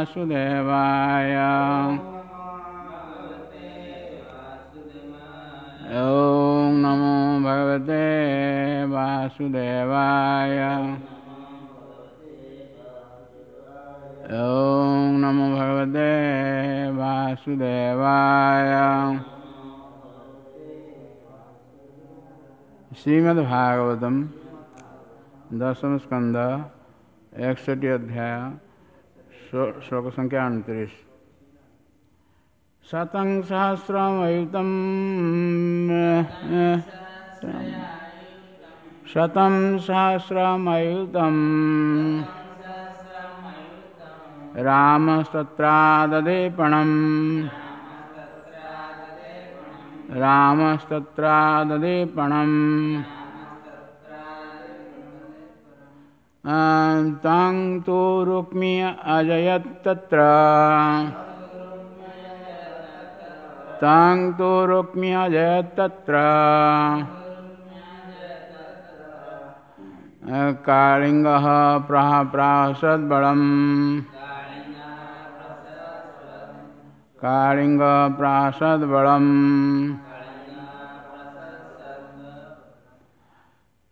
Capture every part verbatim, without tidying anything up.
वासुदेवाय। ॐ नमो भगवते वासुदेवाय। ॐ नमो भगवते वासुदेवाय। श्रीमद्भागवतम दशम स्कंध एकसठ अध्याय श्लोक संख्या उनतीस। शतं सहस्रमयुतं शतं सहस्रमयुतं रामस्तत्राददेपणं रामस्तत्राददेपणं तं तु रुक्मी अजयत् तत्र तं तु रुक्मी अजयत् तत्र कालिङ्गः प्राहसद्बलम् कालिङ्गः प्राहसद्बलम्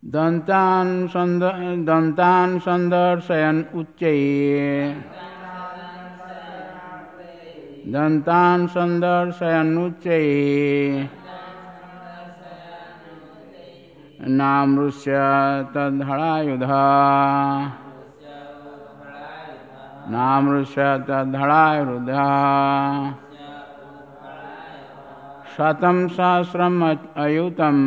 दन्तान् सन्द दन्तान् सन्दर्शयन् उच्चैः दन्तान् सन्दर्शयन् उच्चैः नामृष्य तद्धलायुधः नामृष्य तद्धलायुधः शतं सहस्रम् अयुतं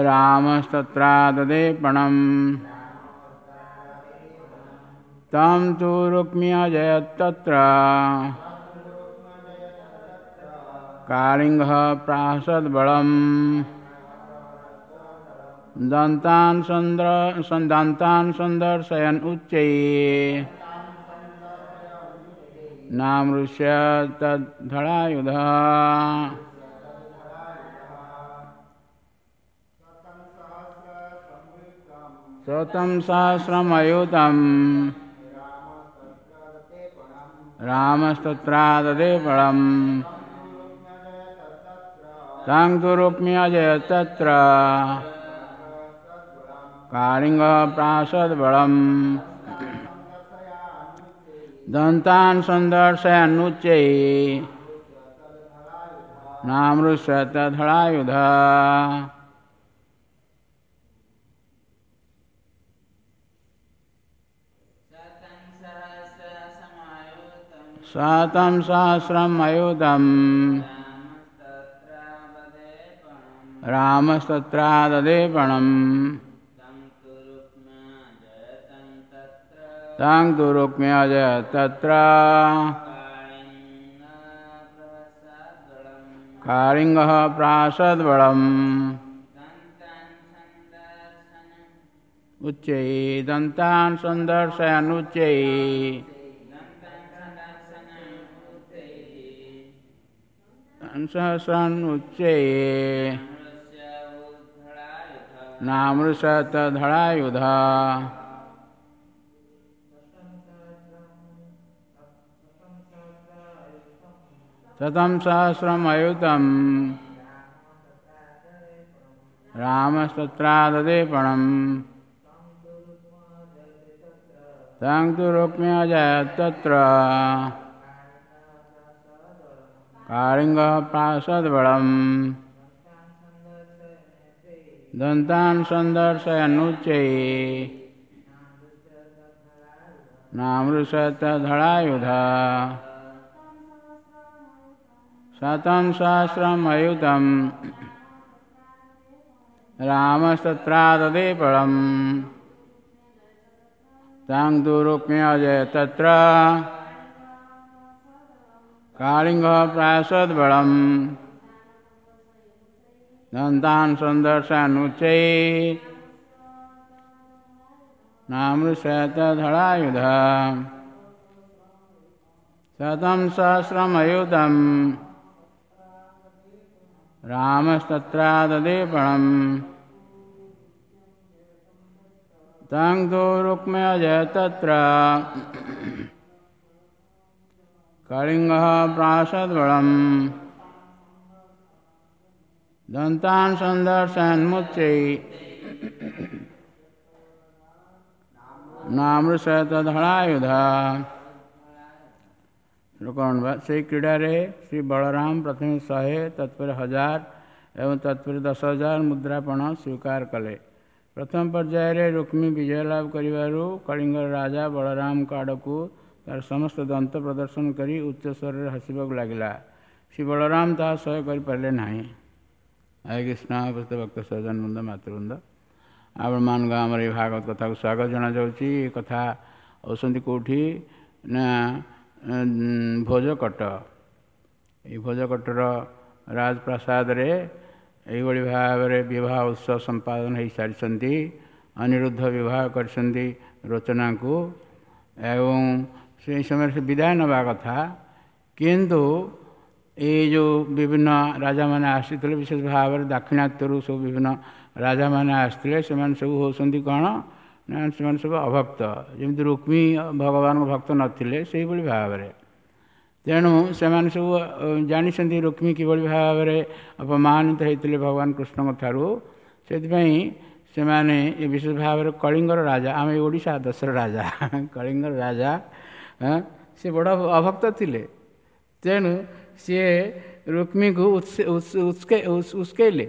रामस्तत्राददेपणं तं तु रुक्मी अजयत् तत्र कालिङ्गः प्राहसद्बलम् दन्तान् सन्द्र दन्तान् सन्दर्शयन् उच्चैः नामृष्य तद्धलायुधः। शतं सहस्रमयुतं रामस्तत्राददेपणं तं तु रुक्मी अजयत् तत्र कालिङ्गः प्राहसद्बलम् दन्तान् सन्दर्शयन् उच्चैः नामृष्य तद्धलायुधः। शतं सहस्रमयुतं रामस्तत्राददेपणं तं तु रुक्मी अजयत् तत्र कालिङ्गः प्राहसद्बलम् उच्चैः दन्तान् सन्दर्शयन् उच्चैः सहस्रन् उच्चैः नामृष्य तद्धलायुधः। शतं सहस्रमयुतं रामस्तत्राददेपणं तं तु रुक्मी अजयत् तत्र कालिङ्गः प्राहसद्बलम् दन्तान् सन्दर्शयन् उच्चैः नामृष्य तद्धलायुधः। शतं सहस्रमयुतं रामस्तत्राददेपणं तं तु रुक्मी अजयत् तत्र कालिङ्गः प्राहसद्बलम् दन्तान् सन्दर्शयन् उच्चैः नामृष्य तद्धलायुधः। शतं सहस्रमयुतं रामस्तत्राददेपणं तं तु रुक्मी अजय तत्र कलिङ्गः प्रासद्बलम् दन्तान् सन्दर्शयन्मुच्चै ନାମୃଷତଧଳାୟୁଧ। ଶ୍ଲୋକ ଅନୁବାଦ। ସେହି କ୍ରୀଡ଼ାରେ ଶ୍ରୀ ବଳରାମ ପ୍ରଥମେ ଶହେ, ତତ୍ପରେ ହଜାର ଏବଂ ତତ୍ପରେ ଦଶ ହଜାର ମୁଦ୍ରାପଣ ସ୍ୱୀକାର କଲେ। ପ୍ରଥମ ପର୍ଯ୍ୟାୟରେ ରୁକ୍ମୀ ବିଜୟ ଲାଭ କରିବାରୁ କଳିଙ୍ଗର ରାଜା ବଳରାମଙ୍କ ଆଡ଼କୁ ତାର ସମସ୍ତ ଦନ୍ତ ପ୍ରଦର୍ଶନ କରି ଉଚ୍ଚ ସ୍ୱରରେ ହସିବାକୁ ଲାଗିଲା। ଶ୍ରୀ ବଳରାମ ତାହା ସହ୍ୟ କରିପାରିଲେ ନାହିଁ। ହରେ କୃଷ୍ଣ। ଉପସ୍ଥିତ ଭକ୍ତ ସଜ୍ଜନ ବୃନ୍ଦ, ମାତୃବୃନ୍ଦ, ଆପଣମାନଙ୍କ ଆମର ଏଇ ଭାଗବତ କଥାକୁ ସ୍ୱାଗତ ଜଣାଯାଉଛି। ଏ କଥା ହେଉଛନ୍ତି କେଉଁଠି ନା ଭୋଜକଟ। ଏଇ ଭୋଜକଟର ରାଜପ୍ରାସାଦରେ ଏଇଭଳି ଭାବରେ ବିବାହ ଉତ୍ସବ ସମ୍ପାଦନ ହୋଇସାରିଛନ୍ତି। ଅନିରୁଦ୍ଧ ବିବାହ କରିଛନ୍ତି ରୋଚନାଙ୍କୁ ଏବଂ ସେଇ ସମୟରେ ସେ ବିଦାୟ ନେବା କଥା, କିନ୍ତୁ ଏଇ ଯେଉଁ ବିଭିନ୍ନ ରାଜାମାନେ ଆସିଥିଲେ, ବିଶେଷ ଭାବରେ ଦାକ୍ଷିଣାତ୍ୟରୁ ସବୁ ବିଭିନ୍ନ ରାଜାମାନେ ଆସିଥିଲେ, ସେମାନେ ସବୁ ହେଉଛନ୍ତି କ'ଣ ନା ସେମାନେ ସବୁ ଅଭକ୍ତ। ଯେମିତି ରୁକ୍ମୀ ଭଗବାନଙ୍କ ଭକ୍ତ ନଥିଲେ, ସେଇଭଳି ଭାବରେ। ତେଣୁ ସେମାନେ ସବୁ ଜାଣିଛନ୍ତି ରୁକ୍ମୀ କିଭଳି ଭାବରେ ଅପମାନିତ ହେଇଥିଲେ ଭଗବାନ କୃଷ୍ଣଙ୍କ ଠାରୁ। ସେଥିପାଇଁ ସେମାନେ ଏ ବିଶେଷ ଭାବରେ କଳିଙ୍ଗର ରାଜା, ଆମେ ଓଡ଼ିଶା ଦେଶର ରାଜା, କଳିଙ୍ଗର ରାଜା ସେ ବଡ଼ ଅଭକ୍ତ ଥିଲେ। ତେଣୁ ସିଏ ରୁକ୍ମୀକୁ ଉସ୍କେଇଲେ,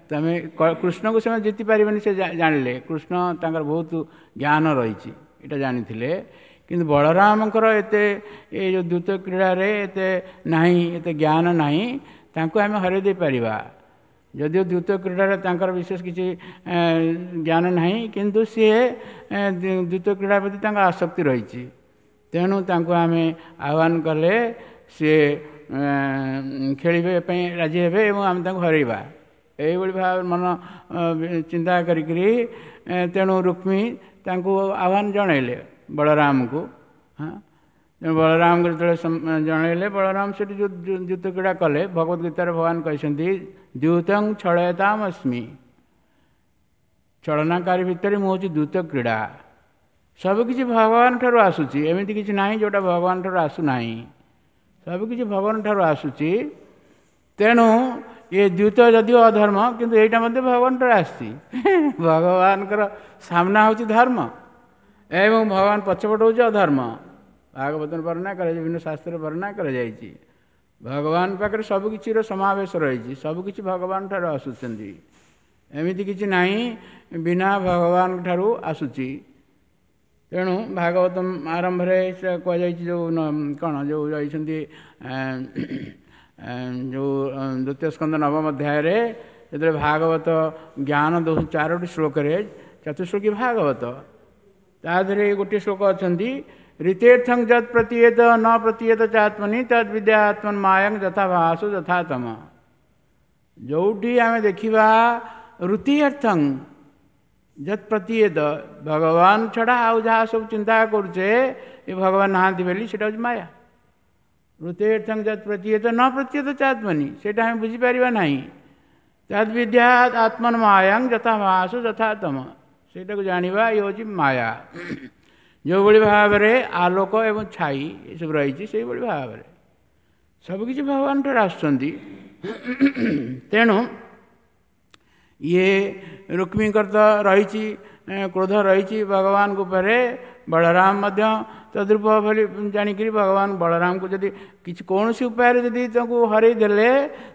ତମେ କୃଷ୍ଣକୁ ସେମାନେ ଜିତି ପାରିବେନି ସେ ଜାଣିଲେ। କୃଷ୍ଣ ତାଙ୍କର ବହୁତ ଜ୍ଞାନ ରହିଛି ଏଇଟା ଜାଣିଥିଲେ, କିନ୍ତୁ ବଳରାମଙ୍କର ଏତେ ଏ ଯେଉଁ ଦ୍ୟୁତ କ୍ରୀଡ଼ାରେ ଏତେ ନାହିଁ, ଏତେ ଜ୍ଞାନ ନାହିଁ, ତାଙ୍କୁ ଆମେ ହରାଇ ଦେଇପାରିବା। ଯଦିଓ ଦ୍ୟୁତ କ୍ରୀଡ଼ାରେ ତାଙ୍କର ବିଶେଷ କିଛି ଜ୍ଞାନ ନାହିଁ, କିନ୍ତୁ ସିଏ ଦ୍ୟୁତ କ୍ରୀଡ଼ା ପ୍ରତି ତାଙ୍କର ଆସକ୍ତି ରହିଛି। ତେଣୁ ତାଙ୍କୁ ଆମେ ଆହ୍ୱାନ କଲେ ସିଏ ଖେଳିବା ପାଇଁ ରାଜି ହେବେ ଏବଂ ଆମେ ତାଙ୍କୁ ହରାଇବା, ଏଇଭଳି ଭାବରେ ମନ ଚିନ୍ତା କରିକିରି ତେଣୁ ରୁକ୍ମୀ ତାଙ୍କୁ ଆହ୍ୱାନ ଜଣାଇଲେ ବଳରାମକୁ। ହଁ, ତେଣୁ ବଳରାମକୁ ଯେତେବେଳେ ଜଣାଇଲେ, ବଳରାମ ସେଠି ଯେଉଁ ଦ୍ୟୁତ କ୍ରୀଡ଼ା କଲେ। ଭଗବତ ଗୀତାରେ ଭଗବାନ କହିଛନ୍ତି, ଦ୍ୟୁତଂ ଛଳୟତାମ ଅସ୍ମି, ଛଳନାକାରୀ ଭିତରେ ମୁଁ ହେଉଛି ଦ୍ୟୁତ କ୍ରୀଡ଼ା। ସବୁକିଛି ଭଗବାନ ଠାରୁ ଆସୁଛି, ଏମିତି କିଛି ନାହିଁ ଯେଉଁଟା ଭଗବାନ ଠାରୁ ଆସୁନାହିଁ, ସବୁକିଛି ଭଗବାନ ଠାରୁ ଆସୁଛି। ତେଣୁ ଏ ଦ୍ୟୁତ ଯଦିଓ ଅଧର୍ମ, କିନ୍ତୁ ଏଇଟା ମଧ୍ୟ ଭଗବାନ ଠାରୁ ଆସିଛି। ଭଗବାନଙ୍କର ସାମ୍ନା ହେଉଛି ଧର୍ମ ଏବଂ ଭଗବାନ ପଛପଟ ହେଉଛି ଅଧର୍ମ। ଭାଗବତରେ ବର୍ଣ୍ଣନା କରାଯାଇଛି, ବିଭିନ୍ନ ଶାସ୍ତ୍ରରେ ବର୍ଣ୍ଣନା କରାଯାଇଛି। ଭଗବାନ ପାଖରେ ସବୁକିଛିର ସମାବେଶ ରହିଛି, ସବୁକିଛି ଭଗବାନ ଠାରୁ ଆସୁଛନ୍ତି, ଏମିତି କିଛି ନାହିଁ ବିନା ଭଗବାନଙ୍କ ଠାରୁ ଆସୁଛି। ତେଣୁ ଭାଗବତ ଆରମ୍ଭରେ ସେ କୁହାଯାଇଛି, ଯେଉଁ କ'ଣ ଯେଉଁ ରହିଛନ୍ତି ଯେଉଁ ଦ୍ୱିତୀୟ ସ୍କନ୍ଦ ନବମ ଅଧ୍ୟାୟରେ ଯେତେବେଳେ ଭାଗବତ ଜ୍ଞାନ ଦେଉଛନ୍ତି ଚାରୋଟି ଶ୍ଲୋକରେ, ଚତୁଶ୍ଲୋକୀ ଭାଗବତ, ତା ଦେହରେ ଗୋଟିଏ ଶ୍ଲୋକ ଅଛନ୍ତି, ରୀତେର୍ଥଂ ଯତ୍ ପ୍ରତୀୟତ ନ ପ୍ରତୀୟତ ଚାତ୍ମନି ତଦ୍ ବିଦ୍ୟା ଆତ୍ମନ୍ ମାୟଂ ଯଥା ଭାସୁ ଯଥା ତମ। ଯେଉଁଠି ଆମେ ଦେଖିବା ଋତିଅର୍ଥଂ ଯତ୍ ପ୍ରତୀୟତ, ଭଗବାନ ଛଡ଼ା ଆଉ ଯାହା ସବୁ ଚିନ୍ତା କରୁଛେ ଏ ଭଗବାନ ନାହାନ୍ତି ବୋଲି, ସେଇଟା ହେଉଛି ମାୟା। ଋତେର୍ଥଂ ଯତ୍ ପ୍ରତୀୟତ ନ ପ୍ରତୀୟତ ଚାତ୍ମନି, ସେଇଟା ଆମେ ବୁଝିପାରିବା ନାହିଁ। ତଦ୍ ବିଦ୍ୟା ଆତ୍ମନ୍ ମାୟଂ ଯଥା ଭାସୁ ଯଥା ତମ, ସେଇଟାକୁ ଜାଣିବା ଇଏ ହେଉଛି ମାୟା। ଯେଉଁଭଳି ଭାବରେ ଆଲୋକ ଏବଂ ଛାଇ ଏସବୁ ରହିଛି, ସେଇଭଳି ଭାବରେ ସବୁକିଛି ଭଗବାନ ଠାରୁ ଆସୁଛନ୍ତି। ତେଣୁ ଇଏ ରୁକ୍ମୀଙ୍କର ତ ରହିଛି କ୍ରୋଧ ରହିଛି ଭଗବାନଙ୍କ ଉପରେ, ବଳରାମ ମଧ୍ୟ ତଦ୍ରୂପ ବୋଲି ଜାଣିକିରି ଭଗବାନ ବଳରାମକୁ ଯଦି କିଛି କୌଣସି ଉପାୟରେ ଯଦି ତାଙ୍କୁ ହରେଇ ଦେଲେ,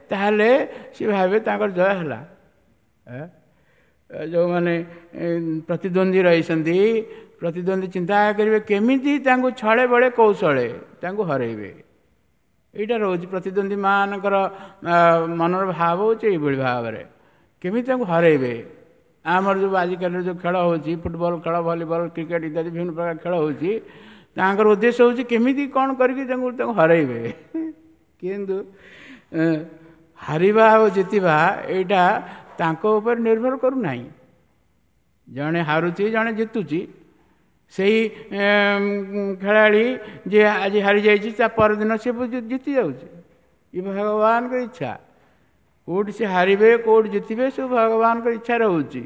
ତାହେଲେ ସେ ଭାବେ ତାଙ୍କର ଜୟ ହେଲା। ଯେଉଁମାନେ ପ୍ରତିଦ୍ୱନ୍ଦ୍ୱୀ ରହିଛନ୍ତି, ପ୍ରତିଦ୍ୱନ୍ଦ୍ୱୀ ଚିନ୍ତା କରିବେ କେମିତି ତାଙ୍କୁ ଛଳେ ବଳେ କୌଶଳେ ତାଙ୍କୁ ହରେଇବେ। ଏଇଟା ରହୁଛି ପ୍ରତିଦ୍ୱନ୍ଦ୍ୱୀମାନଙ୍କର ମନର ଭାବ ହେଉଛି ଏଇଭଳି ଭାବରେ କେମିତି ତାଙ୍କୁ ହରେଇବେ। ଆମର ଯେଉଁ ଆଜିକାଲିର ଯେଉଁ ଖେଳ ହେଉଛି, ଫୁଟବଲ ଖେଳ, ଭଲିବଲ, କ୍ରିକେଟ ଇତ୍ୟାଦି ବିଭିନ୍ନ ପ୍ରକାର ଖେଳ ହେଉଛି, ତାଙ୍କର ଉଦ୍ଦେଶ୍ୟ ହେଉଛି କେମିତି କ'ଣ କରିକି ତାଙ୍କୁ ତାଙ୍କୁ ହରେଇବେ। କିନ୍ତୁ ହାରିବା ଆଉ ଜିତିବା ଏଇଟା ତାଙ୍କ ଉପରେ ନିର୍ଭର କରୁନାହିଁ। ଜଣେ ହାରୁଛି, ଜଣେ ଜିତୁଛି। ସେଇ ଖେଳାଳି ଯିଏ ଆଜି ହାରିଯାଇଛି, ତା ପରଦିନ ସେ ଜିତି ଯାଉଛି। ଏ ଭଗବାନଙ୍କ ଇଚ୍ଛା, କେଉଁଠି ସେ ହାରିବେ କେଉଁଠି ଜିତିବେ ସବୁ ଭଗବାନଙ୍କ ଇଚ୍ଛା ରହୁଛି।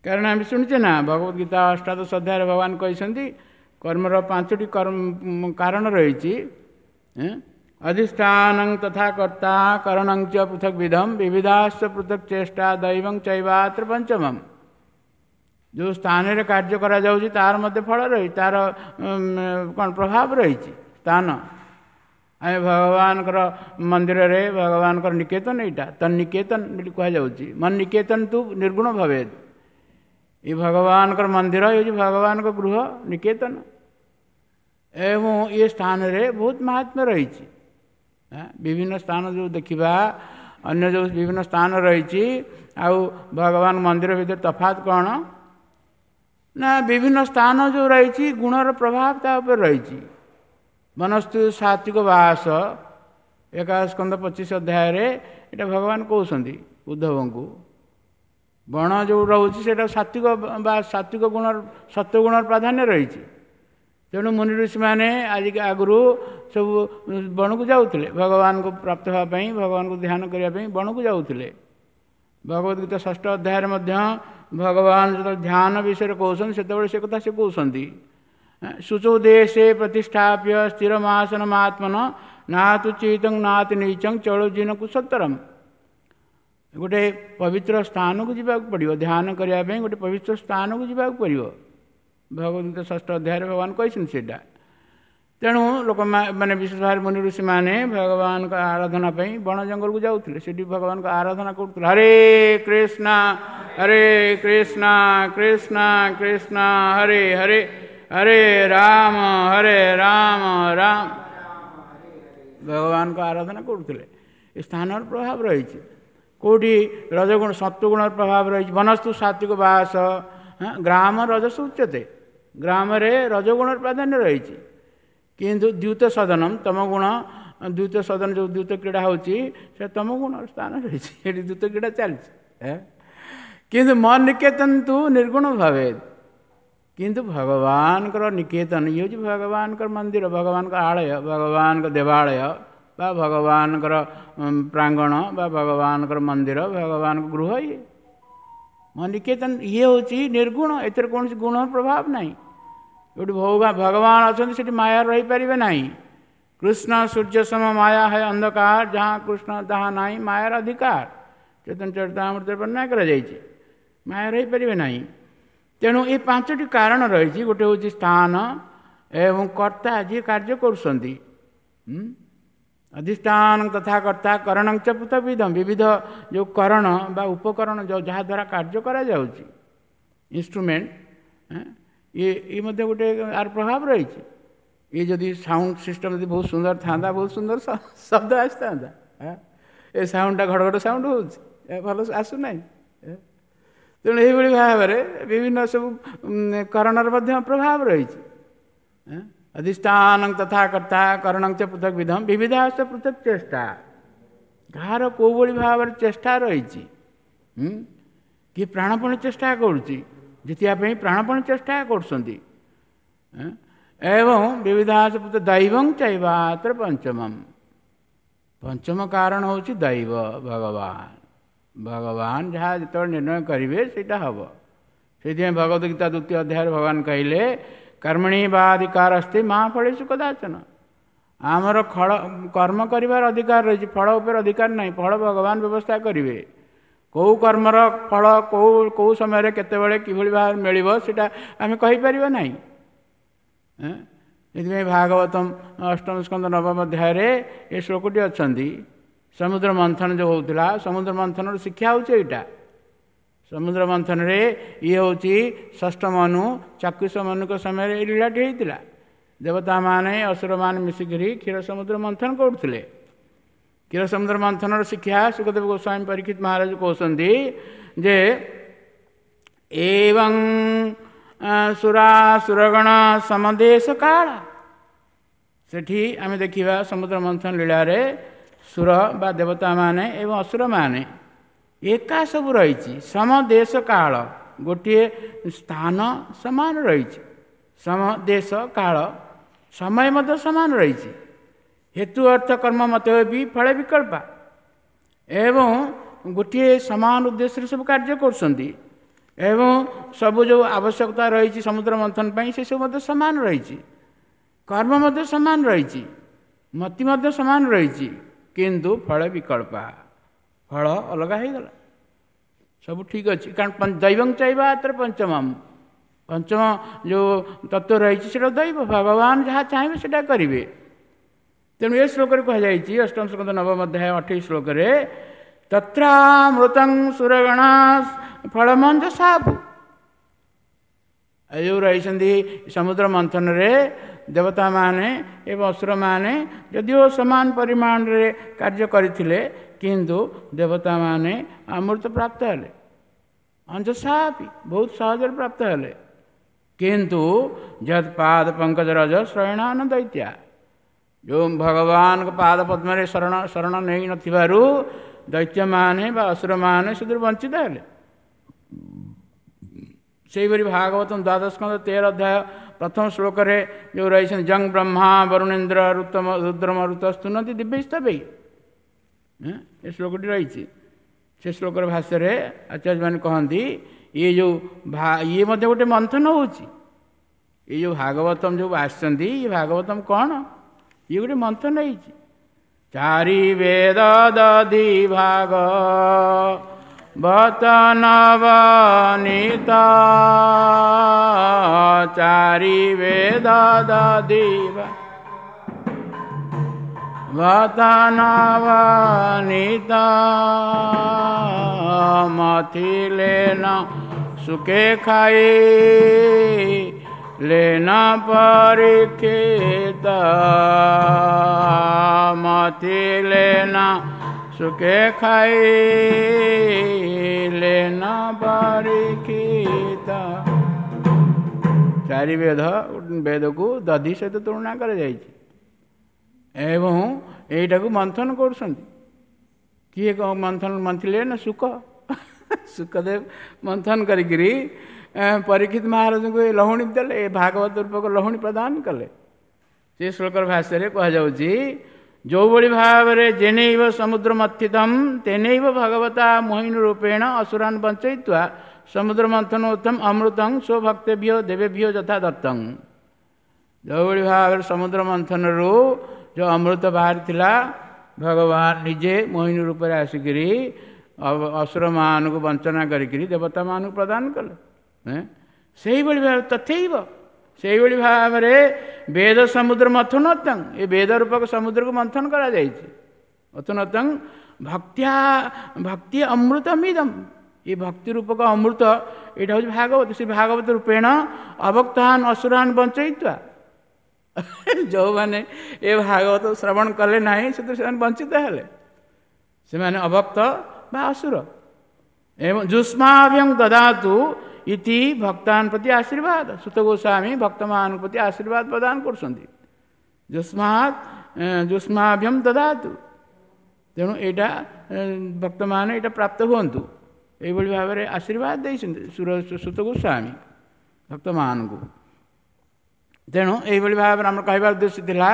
କାରଣ ଆମେ ଶୁଣିଛେ ନା ଭଗବତ ଗୀତା ଅଷ୍ଟାଦଶ ଅଧ୍ୟାୟରେ ଭଗବାନ କହିଛନ୍ତି କର୍ମର ପାଞ୍ଚଟି କର୍ମ କାରଣ ରହିଛି। ଅଧିଷ୍ଠାନଂ ତଥା କର୍ତ୍ତା କରଣଂ ଚ ପୃଥକ୍ ବିଧମ୍ ବିବିଧାଶ୍ଚ ପୃଥକ୍ ଚେଷ୍ଟା ଦୈବଂ ଚୈବାତ୍ର ପଞ୍ଚମମ୍। ଯେଉଁ ସ୍ଥାନରେ କାର୍ଯ୍ୟ କରାଯାଉଛି ତାର ମଧ୍ୟ ଫଳ ରହିଛି, ତାର କ'ଣ ପ୍ରଭାବ ରହିଛି। ସ୍ଥାନ ଆମେ ଭଗବାନଙ୍କର ମନ୍ଦିରରେ ଭଗବାନଙ୍କର ନିକେତନ, ଏଇଟା ତନ୍ନିକେତନ ବୋଲି କୁହାଯାଉଛି। ମନ ନିକେତନ ତୁ ନିର୍ଗୁଣ ଭବେଦ। ଏ ଭଗବାନଙ୍କର ମନ୍ଦିର ହେଉଛି ଭଗବାନଙ୍କ ଗୃହ ନିକେତନ, ଏବଂ ଏ ସ୍ଥାନରେ ବହୁତ ମହାତ୍ମ୍ୟ ରହିଛି। ବିଭିନ୍ନ ସ୍ଥାନ ଯେଉଁ ଦେଖିବା, ଅନ୍ୟ ଯେଉଁ ବିଭିନ୍ନ ସ୍ଥାନ ରହିଛି ଆଉ ଭଗବାନ ମନ୍ଦିର ଭିତରେ ତଫାତ୍ କ'ଣ ନା, ବିଭିନ୍ନ ସ୍ଥାନ ଯେଉଁ ରହିଛି ଗୁଣର ପ୍ରଭାବ ତା ଉପରେ ରହିଛି। ମନସ୍ତୁ ସାତ୍ವಿକ ବାସ, ଏକାଦଶ ସ୍କନ୍ଧ ପଚିଶ ଅଧ୍ୟାୟରେ ଏଇଟା ଭଗବାନ କହୁଛନ୍ତି ଉଦ୍ଧବଙ୍କୁ। ବଣ ଯେଉଁ ରହୁଛି ସେଇଟା ସାତ୍ବିକ ବା ସାତ୍ବିକ ଗୁଣର ସତ୍ୱଗୁଣର ପ୍ରାଧାନ୍ୟ ରହିଛି। ତେଣୁ ମୁନି ଋଷିମାନେ ଆଜି ଆଗରୁ ସବୁ ବଣକୁ ଯାଉଥିଲେ, ଭଗବାନଙ୍କୁ ପ୍ରାପ୍ତ ହେବା ପାଇଁ, ଭଗବାନଙ୍କୁ ଧ୍ୟାନ କରିବା ପାଇଁ ବଣକୁ ଯାଉଥିଲେ। ଭଗବତ ଗୀତା ଷଷ୍ଠ ଅଧ୍ୟାୟରେ ମଧ୍ୟ ଭଗବାନ ଯେତେବେଳେ ଧ୍ୟାନ ବିଷୟରେ କହୁଛନ୍ତି ସେତେବେଳେ ସେ କଥା ସେ କହୁଛନ୍ତି। ଶୁଚୌ ଦେଶେ ପ୍ରତିଷ୍ଠାପ୍ୟ ସ୍ଥିରମାସନମାତ୍ମନ ନାତୁ ଚିତଂ ନାତି ନୀଚଂ ଚଳୁଜିନ କୁଶତ୍ତରମ୍। ଗୋଟେ ପବିତ୍ର ସ୍ଥାନକୁ ଯିବାକୁ ପଡ଼ିବ, ଧ୍ୟାନ କରିବା ପାଇଁ ଗୋଟେ ପବିତ୍ର ସ୍ଥାନକୁ ଯିବାକୁ ପଡ଼ିବ। ଭଗବତ ଗୀତା ଷଷ୍ଠ ଅଧ୍ୟାୟରେ ଭଗବାନ କହିଛନ୍ତି ସେଇଟା। ତେଣୁ ଲୋକମାନେ ବିଶେଷ ଭାବରେ ମୁନି ଋଷିମାନେ ଭଗବାନଙ୍କ ଆରାଧନା ପାଇଁ ବଣ ଜଙ୍ଗଲକୁ ଯାଉଥିଲେ, ସେଠି ଭଗବାନଙ୍କ ଆରାଧନା କରୁଥିଲେ। ହରେ କୃଷ୍ଣ ହରେ କୃଷ୍ଣ କୃଷ୍ଣ କୃଷ୍ଣ ହରେ ହରେ ହରେ ରାମ ହରେ ରାମ ରାମ, ଭଗବାନଙ୍କ ଆରାଧନା କରୁଥିଲେ। ଏ ସ୍ଥାନର ପ୍ରଭାବ ରହିଛି। କେଉଁଠି ରଜଗୁଣ ସତ୍ୱଗୁଣର ପ୍ରଭାବ ରହିଛି। ବନସ୍ତୁ ସାତ୍ବିକ ବାସ, ଗ୍ରାମ ରଜସ ଉଚ୍ଚତେ, ଗ୍ରାମରେ ରଜଗୁଣର ପ୍ରାଧାନ୍ୟ ରହିଛି। କିନ୍ତୁ ଦ୍ୟୁତ ସଦନମ ତମଗୁଣ, ଦ୍ୟୁତ ସଦନ ଯେଉଁ ଦ୍ୟୁତ କ୍ରୀଡ଼ା ହେଉଛି ସେ ତମଗୁଣର ସ୍ଥାନ ରହିଛି, ସେଠି ଦ୍ୟୁତ କ୍ରୀଡ଼ା ଚାଲିଛି। କିନ୍ତୁ ମନ ନିକେତନ ତୁ ନିର୍ଗୁଣ ଭାବେ। କିନ୍ତୁ ଭଗବାନଙ୍କର ନିକେତନ ଇଏ ହେଉଛି ଭଗବାନଙ୍କର ମନ୍ଦିର, ଭଗବାନଙ୍କ ଆଳୟ, ଭଗବାନଙ୍କ ଦେବାଳୟ ବା ଭଗବାନଙ୍କର ପ୍ରାଙ୍ଗଣ ବା ଭଗବାନଙ୍କର ମନ୍ଦିର, ଭଗବାନଙ୍କ ଗୃହ। ଇଏ ମନ ନିକେତନ ଇଏ ହେଉଛି ନିର୍ଗୁଣ, ଏଥିରେ କୌଣସି ଗୁଣ ପ୍ରଭାବ ନାହିଁ। ଯେଉଁଠି ଭଗବାନ ଅଛନ୍ତି ସେଠି ମାୟା ରହିପାରିବେ ନାହିଁ। କୃଷ୍ଣ ସୂର୍ଯ୍ୟ ସମ ମାୟା ହେ ଅନ୍ଧକାର, ଯାହା କୃଷ୍ଣ ତାହା ନାହିଁ ମାୟାର ଅଧିକାର। ଚୈତନ୍ୟ ଚରିତାମୃତରେ ବର୍ଣ୍ଣନା କରାଯାଇଛି, ମାୟା ରହିପାରିବେ ନାହିଁ। ତେଣୁ ଏ ପାଞ୍ଚଟି କାରଣ ରହିଛି। ଗୋଟେ ହେଉଛି ସ୍ଥାନ ଏବଂ କର୍ତ୍ତା ଯିଏ କାର୍ଯ୍ୟ କରୁଛନ୍ତି, ଅଧିଷ୍ଠାନ ତଥା କର୍ତ୍ତା କରଣଂ ଚ ପୃଥକ୍ବିଧମ୍, ବିବିଧ ଯେଉଁ କରଣ ବା ଉପକରଣ ଯେଉଁ ଯାହାଦ୍ୱାରା କାର୍ଯ୍ୟ କରାଯାଉଛି, ଇନଷ୍ଟ୍ରୁମେଣ୍ଟ, ଇଏ ଇଏ ମଧ୍ୟ ଗୋଟେ ଆର ପ୍ରଭାବ ରହିଛି। ଇଏ ଯଦି ସାଉଣ୍ଡ ସିଷ୍ଟମ୍ ଯଦି ବହୁତ ସୁନ୍ଦର ଥାନ୍ତା, ବହୁତ ସୁନ୍ଦର ଶବ୍ଦ ଆସିଥାନ୍ତା। ଏ ସାଉଣ୍ଡଟା ଘଡ଼ଘଡ଼ ସାଉଣ୍ଡ ହେଉଛି, ଭଲ ଆସୁନାହିଁ। ତେଣୁ ଏଇଭଳି ଭାବରେ ବିଭିନ୍ନ ସବୁ କରଣର ମଧ୍ୟ ପ୍ରଭାବ ରହିଛି। ଅଧିଷ୍ଠାନ ତଥା କର୍ତ୍ତା କରଣଂ ଚ ପୃଥକ୍ ବିଧମ୍ ବିବିଧାଶ୍ଚ ପୃଥକ୍ ଚେଷ୍ଟା, କାହାର କେଉଁଭଳି ଭାବରେ ଚେଷ୍ଟା ରହିଛି। କିଏ ପ୍ରାଣପଣ ଚେଷ୍ଟା କରୁଛି, ଜିତିବା ପାଇଁ ପ୍ରାଣପଣ ଚେଷ୍ଟା କରୁଛନ୍ତି। ଏବଂ ବିବିଧାଶ୍ଚ ପୃଥକ୍ ଦୈବଂ ଚୈବାତ୍ର ପଞ୍ଚମମ୍, ପଞ୍ଚମ କାରଣ ହେଉଛି ଦୈବ, ଭଗବାନ। ଭଗବାନ ଯାହା ଯେତେବେଳେ ନିର୍ଣ୍ଣୟ କରିବେ ସେଇଟା ହେବ। ସେଇଥିପାଇଁ ଭଗବତ ଗୀତା ଦ୍ୱିତୀୟ ଅଧ୍ୟାୟରେ ଭଗବାନ କହିଲେ କର୍ମଣି ବାଧିକାର ଅସ୍ତି ମା ଫଳେଷୁ କଦାଚନ। ଆମର ଫଳ କର୍ମ କରିବାର ଅଧିକାର ରହିଛି, ଫଳ ଉପରେ ଅଧିକାର ନାହିଁ। ଫଳ ଭଗବାନ ବ୍ୟବସ୍ଥା କରିବେ। କେଉଁ କର୍ମର ଫଳ କେଉଁ କେଉଁ ସମୟରେ କେତେବେଳେ କିଭଳି ଭାବରେ ମିଳିବ ସେଇଟା ଆମେ କହିପାରିବା ନାହିଁ। ସେଥିପାଇଁ ଭାଗବତମ ଅଷ୍ଟମ ସ୍କନ୍ଧ ନବମ ଅଧ୍ୟାୟରେ ଏ ଶ୍ଲୋକଟି ଅଛନ୍ତି। ସମୁଦ୍ର ମନ୍ଥନ ଯେଉଁ ହେଉଥିଲା, ସମୁଦ୍ର ମନ୍ଥନର ଶିକ୍ଷା ହେଉଛି ଏଇଟା। ସମୁଦ୍ର ମନ୍ଥନରେ ଇଏ ହେଉଛି ଷଷ୍ଠ ମନୁ, ଚାକ୍ଷୁଷ ମନୁଙ୍କ ସମୟରେ ଏଇ ଲୀଳାଟି ହେଇଥିଲା। ଦେବତାମାନେ ଅସୁରମାନେ ମିଶିକରି କ୍ଷୀର ସମୁଦ୍ର ମନ୍ଥନ କରୁଥିଲେ। କ୍ଷୀର ସମୁଦ୍ର ମନ୍ଥନର ଶିକ୍ଷା ଶୁକଦେବ ଗୋସ୍ୱାମୀ ପରୀକ୍ଷିତ ମହାରାଜ କହୁଛନ୍ତି ଯେ ଏବଂ ସୁରାସୁରଗଣ ସମଦେଶ କାଳ। ସେଠି ଆମେ ଦେଖିବା ସମୁଦ୍ର ମନ୍ଥନ ଲୀଳାରେ ସୁର ବା ଦେବତାମାନେ ଏବଂ ଅସୁରମାନେ ଏକା ସବୁ ରହିଛି। ସମଦେଶ କାଳ, ଗୋଟିଏ ସ୍ଥାନ ସମାନ ରହିଛି। ସମଦେଶ କାଳ, ସମୟ ମଧ୍ୟ ସମାନ ରହିଛି। ହେତୁ ଅର୍ଥ କର୍ମ ମତ ବି ଫଳ ବିକଳ୍ପ, ଏବଂ ଗୋଟିଏ ସମାନ ଉଦ୍ଦେଶ୍ୟରେ ସବୁ କାର୍ଯ୍ୟ କରୁଛନ୍ତି। ଏବଂ ସବୁ ଯେଉଁ ଆବଶ୍ୟକତା ରହିଛି ସମୁଦ୍ର ମନ୍ଥନ ପାଇଁ ସେସବୁ ମଧ୍ୟ ସମାନ ରହିଛି, କର୍ମ ମଧ୍ୟ ସମାନ ରହିଛି, ମତି ମଧ୍ୟ ସମାନ ରହିଛି, କିନ୍ତୁ ଫଳ ବିକଳ୍ପ, ଫଳ ଅଲଗା ହେଇଗଲା। ସବୁ ଠିକ୍ ଅଛି, କାରଣ ଦୈବଂ ଚୈବ ଅତ୍ର ପଞ୍ଚମମ୍, ପଞ୍ଚମ ଯେଉଁ ତତ୍ତ୍ୱ ରହିଛି ସେଇଟା ଦୈବ, ଭଗବାନ ଯାହା ଚାହିଁବେ ସେଇଟା କରିବେ। ତେଣୁ ଏ ଶ୍ଲୋକରେ କୁହାଯାଇଛି ଅଷ୍ଟମ ସ୍କନ୍ଧ ନବମ ଅଧ୍ୟାୟ ଅଠେଇଶ ଶ୍ଲୋକରେ, ତତ୍ରାମୃତଂ ସୁରଗଣା ଫଳମଞ୍ଜ ସାପୁ। ଏ ଯେଉଁ ରହିଛନ୍ତି ସମୁଦ୍ର ମନ୍ଥନରେ ଦେବତାମାନେ ଏବଂ ଅସୁରମାନେ ଯଦିଓ ସମାନ ପରିମାଣରେ କାର୍ଯ୍ୟ କରିଥିଲେ, କିନ୍ତୁ ଦେବତାମାନେ ଅମୃତ ପ୍ରାପ୍ତ ହେଲେ, ଅଞ୍ଜସାପି ବହୁତ ସହଜରେ ପ୍ରାପ୍ତ ହେଲେ। କିନ୍ତୁ ଯତ୍ ପାଦ ପଙ୍କଜ ରଜ ଶ୍ରୟଣାନ ଦୈତ୍ୟା, ଯେଉଁ ଭଗବାନଙ୍କ ପାଦ ପଦ୍ମରେ ଶରଣ ଶରଣ ନେଇନଥିବାରୁ ଦୈତ୍ୟମାନେ ବା ଅସୁରମାନେ ସେଥିରୁ ବଞ୍ଚିତ ହେଲେ। ସେହିପରି ଭାଗବତ ଦ୍ୱାଦଶ ସ୍କନ୍ଧ ତେର ଅଧ୍ୟାୟ ପ୍ରଥମ ଶ୍ଲୋକରେ ଯେଉଁ ରହିଛନ୍ତି, ଜଂ ବ୍ରହ୍ମା ବରୁଣେନ୍ଦ୍ର ରୁତମ ରୁଦ୍ରମ ଋତ ସ୍ତୁନନ୍ତି ଦିବ୍ୟସ୍ତବେଇ, ଏ ଶ୍ଲୋକଟି ରହିଛି। ସେ ଶ୍ଲୋକର ଭାଷ୍ୟରେ ଆଚାର୍ଯ୍ୟମାନେ କହନ୍ତି ଇଏ ଯେଉଁ ଇଏ ମଧ୍ୟ ଗୋଟେ ମନ୍ଥନ ହେଉଛି। ଏଇ ଯେଉଁ ଭାଗବତମ ଯେଉଁ ଆସିଛନ୍ତି, ଇଏ ଭାଗବତମ କ'ଣ? ଇଏ ଗୋଟେ ମନ୍ଥନ ହେଇଛି। ଚାରି ବେଦ ଦଧି ଭାଗ ବତନବନୀତ, ଚାରି ବେଦ ଦଧି ବତନବନୀତ, ମଥିଲେ ନ ସୁଖେ ଖାଇ ଲେନ ପରୀକ୍ଷିତ, ମଥିଲେ ନ ସୁଖେ ଖାଇ ଲେନ ପରୀକ୍ଷିତ। ଚାରି ବେଦ ବେଦକୁ ଦଧି ସହିତ ତୁଳନା କରାଯାଇଛି ଏବଂ ଏଇଟାକୁ ମନ୍ଥନ କରୁଛନ୍ତି। କିଏ ମନ୍ଥନ ମନ୍ଥିଲେ ନା ଶୁକ, ଶୁକଦେବ ମନ୍ଥନ କରିକିରି ପରୀକ୍ଷିତ ମହାରାଜଙ୍କୁ ଏ ଲହୁଣୀ ଦେଲେ, ଏ ଭାଗବତ ରୂପକ ଲହୁଣୀ ପ୍ରଦାନ କଲେ। ସେ ଶ୍ଲୋକର ଭାଷ୍ୟରେ କୁହାଯାଉଛି, ଯେଉଁଭଳି ଭାବରେ ଜେନୈବ ସମୁଦ୍ର ମଥିତମ୍ ତେନୈବ ଭଗବତା ମୋହିନୀ ରୂପେଣ ଅସୁରାନ୍ ବଞ୍ଚୟିତ୍ୱା ସମୁଦ୍ର ମନ୍ଥନ ଉତ୍ତମ ଅମୃତଂ ସ୍ୱଭକ୍ତେଭ୍ୟ ଦେବେଭ୍ୟ ଯଥା ଦତ୍ତଂ। ଯେଉଁଭଳି ଭାବରେ ସମୁଦ୍ର ମନ୍ଥନରୁ ଯେଉଁ ଅମୃତ ବାହାରିଥିଲା, ଭଗବାନ ନିଜେ ମୋହିନୀ ରୂପରେ ଆସିକିରି ଅସୁରମାନଙ୍କୁ ବଞ୍ଚନା କରିକିରି ଦେବତାମାନଙ୍କୁ ପ୍ରଦାନ କଲେ। ସେଇଭଳି ଭାବରେ ତଥୈବ ସେଇଭଳି ଭାବରେ ବେଦ ସମୁଦ୍ର ମଥନୋତ୍ତଂ, ଏ ବେଦ ରୂପକ ସମୁଦ୍ରକୁ ମନ୍ଥନ କରାଯାଇଛି। ମଥନୋତ୍ତଂ ଭକ୍ତ୍ୟା ଭକ୍ତି ଅମୃତମିଦମ୍, ଏ ଭକ୍ତି ରୂପକ ଅମୃତ ଏଇଟା ହେଉଛି ଭାଗବତ। ସେ ଭାଗବତ ରୂପେଣ ଅଭକ୍ତାନ ଅସୁରାନ ବଞ୍ଚୟିତ୍ୱା, ଯେଉଁମାନେ ଏ ଭାଗବତ ଶ୍ରବଣ କଲେ ନାହିଁ ସେଥିରୁ ସେମାନେ ବଞ୍ଚିତ ହେଲେ, ସେମାନେ ଅଭକ୍ତ ବା ଅସୁର। ଏବଂ ଯୁଷ୍ମାଭ୍ୟଂ ଦଦାତୁ ଇତି ଭକ୍ତାନ ପ୍ରତି ଆଶୀର୍ବାଦ, ସୁତ ଗୋସ୍ୱାମୀ ଭକ୍ତମାନଙ୍କ ପ୍ରତି ଆଶୀର୍ବାଦ ପ୍ରଦାନ କରୁଛନ୍ତି। ଯୁଷ୍ମାତ୍ ଯୁଷ୍ମାଭ୍ୟಂ ଦଦାତୁ, ତେଣୁ ଏଇଟା ଭକ୍ତମାନେ ଏଇଟା ପ୍ରାପ୍ତ ହୁଅନ୍ତୁ, ଏଇଭଳି ଭାବରେ ଆଶୀର୍ବାଦ ଦେଇଛନ୍ତି ସୁତ ଗୋସ୍ୱାମୀ ଭକ୍ତମାନଙ୍କୁ। ତେଣୁ ଏଇଭଳି ଭାବରେ ଆମର କହିବାର ଉଦ୍ଦେଶ୍ୟ ଥିଲା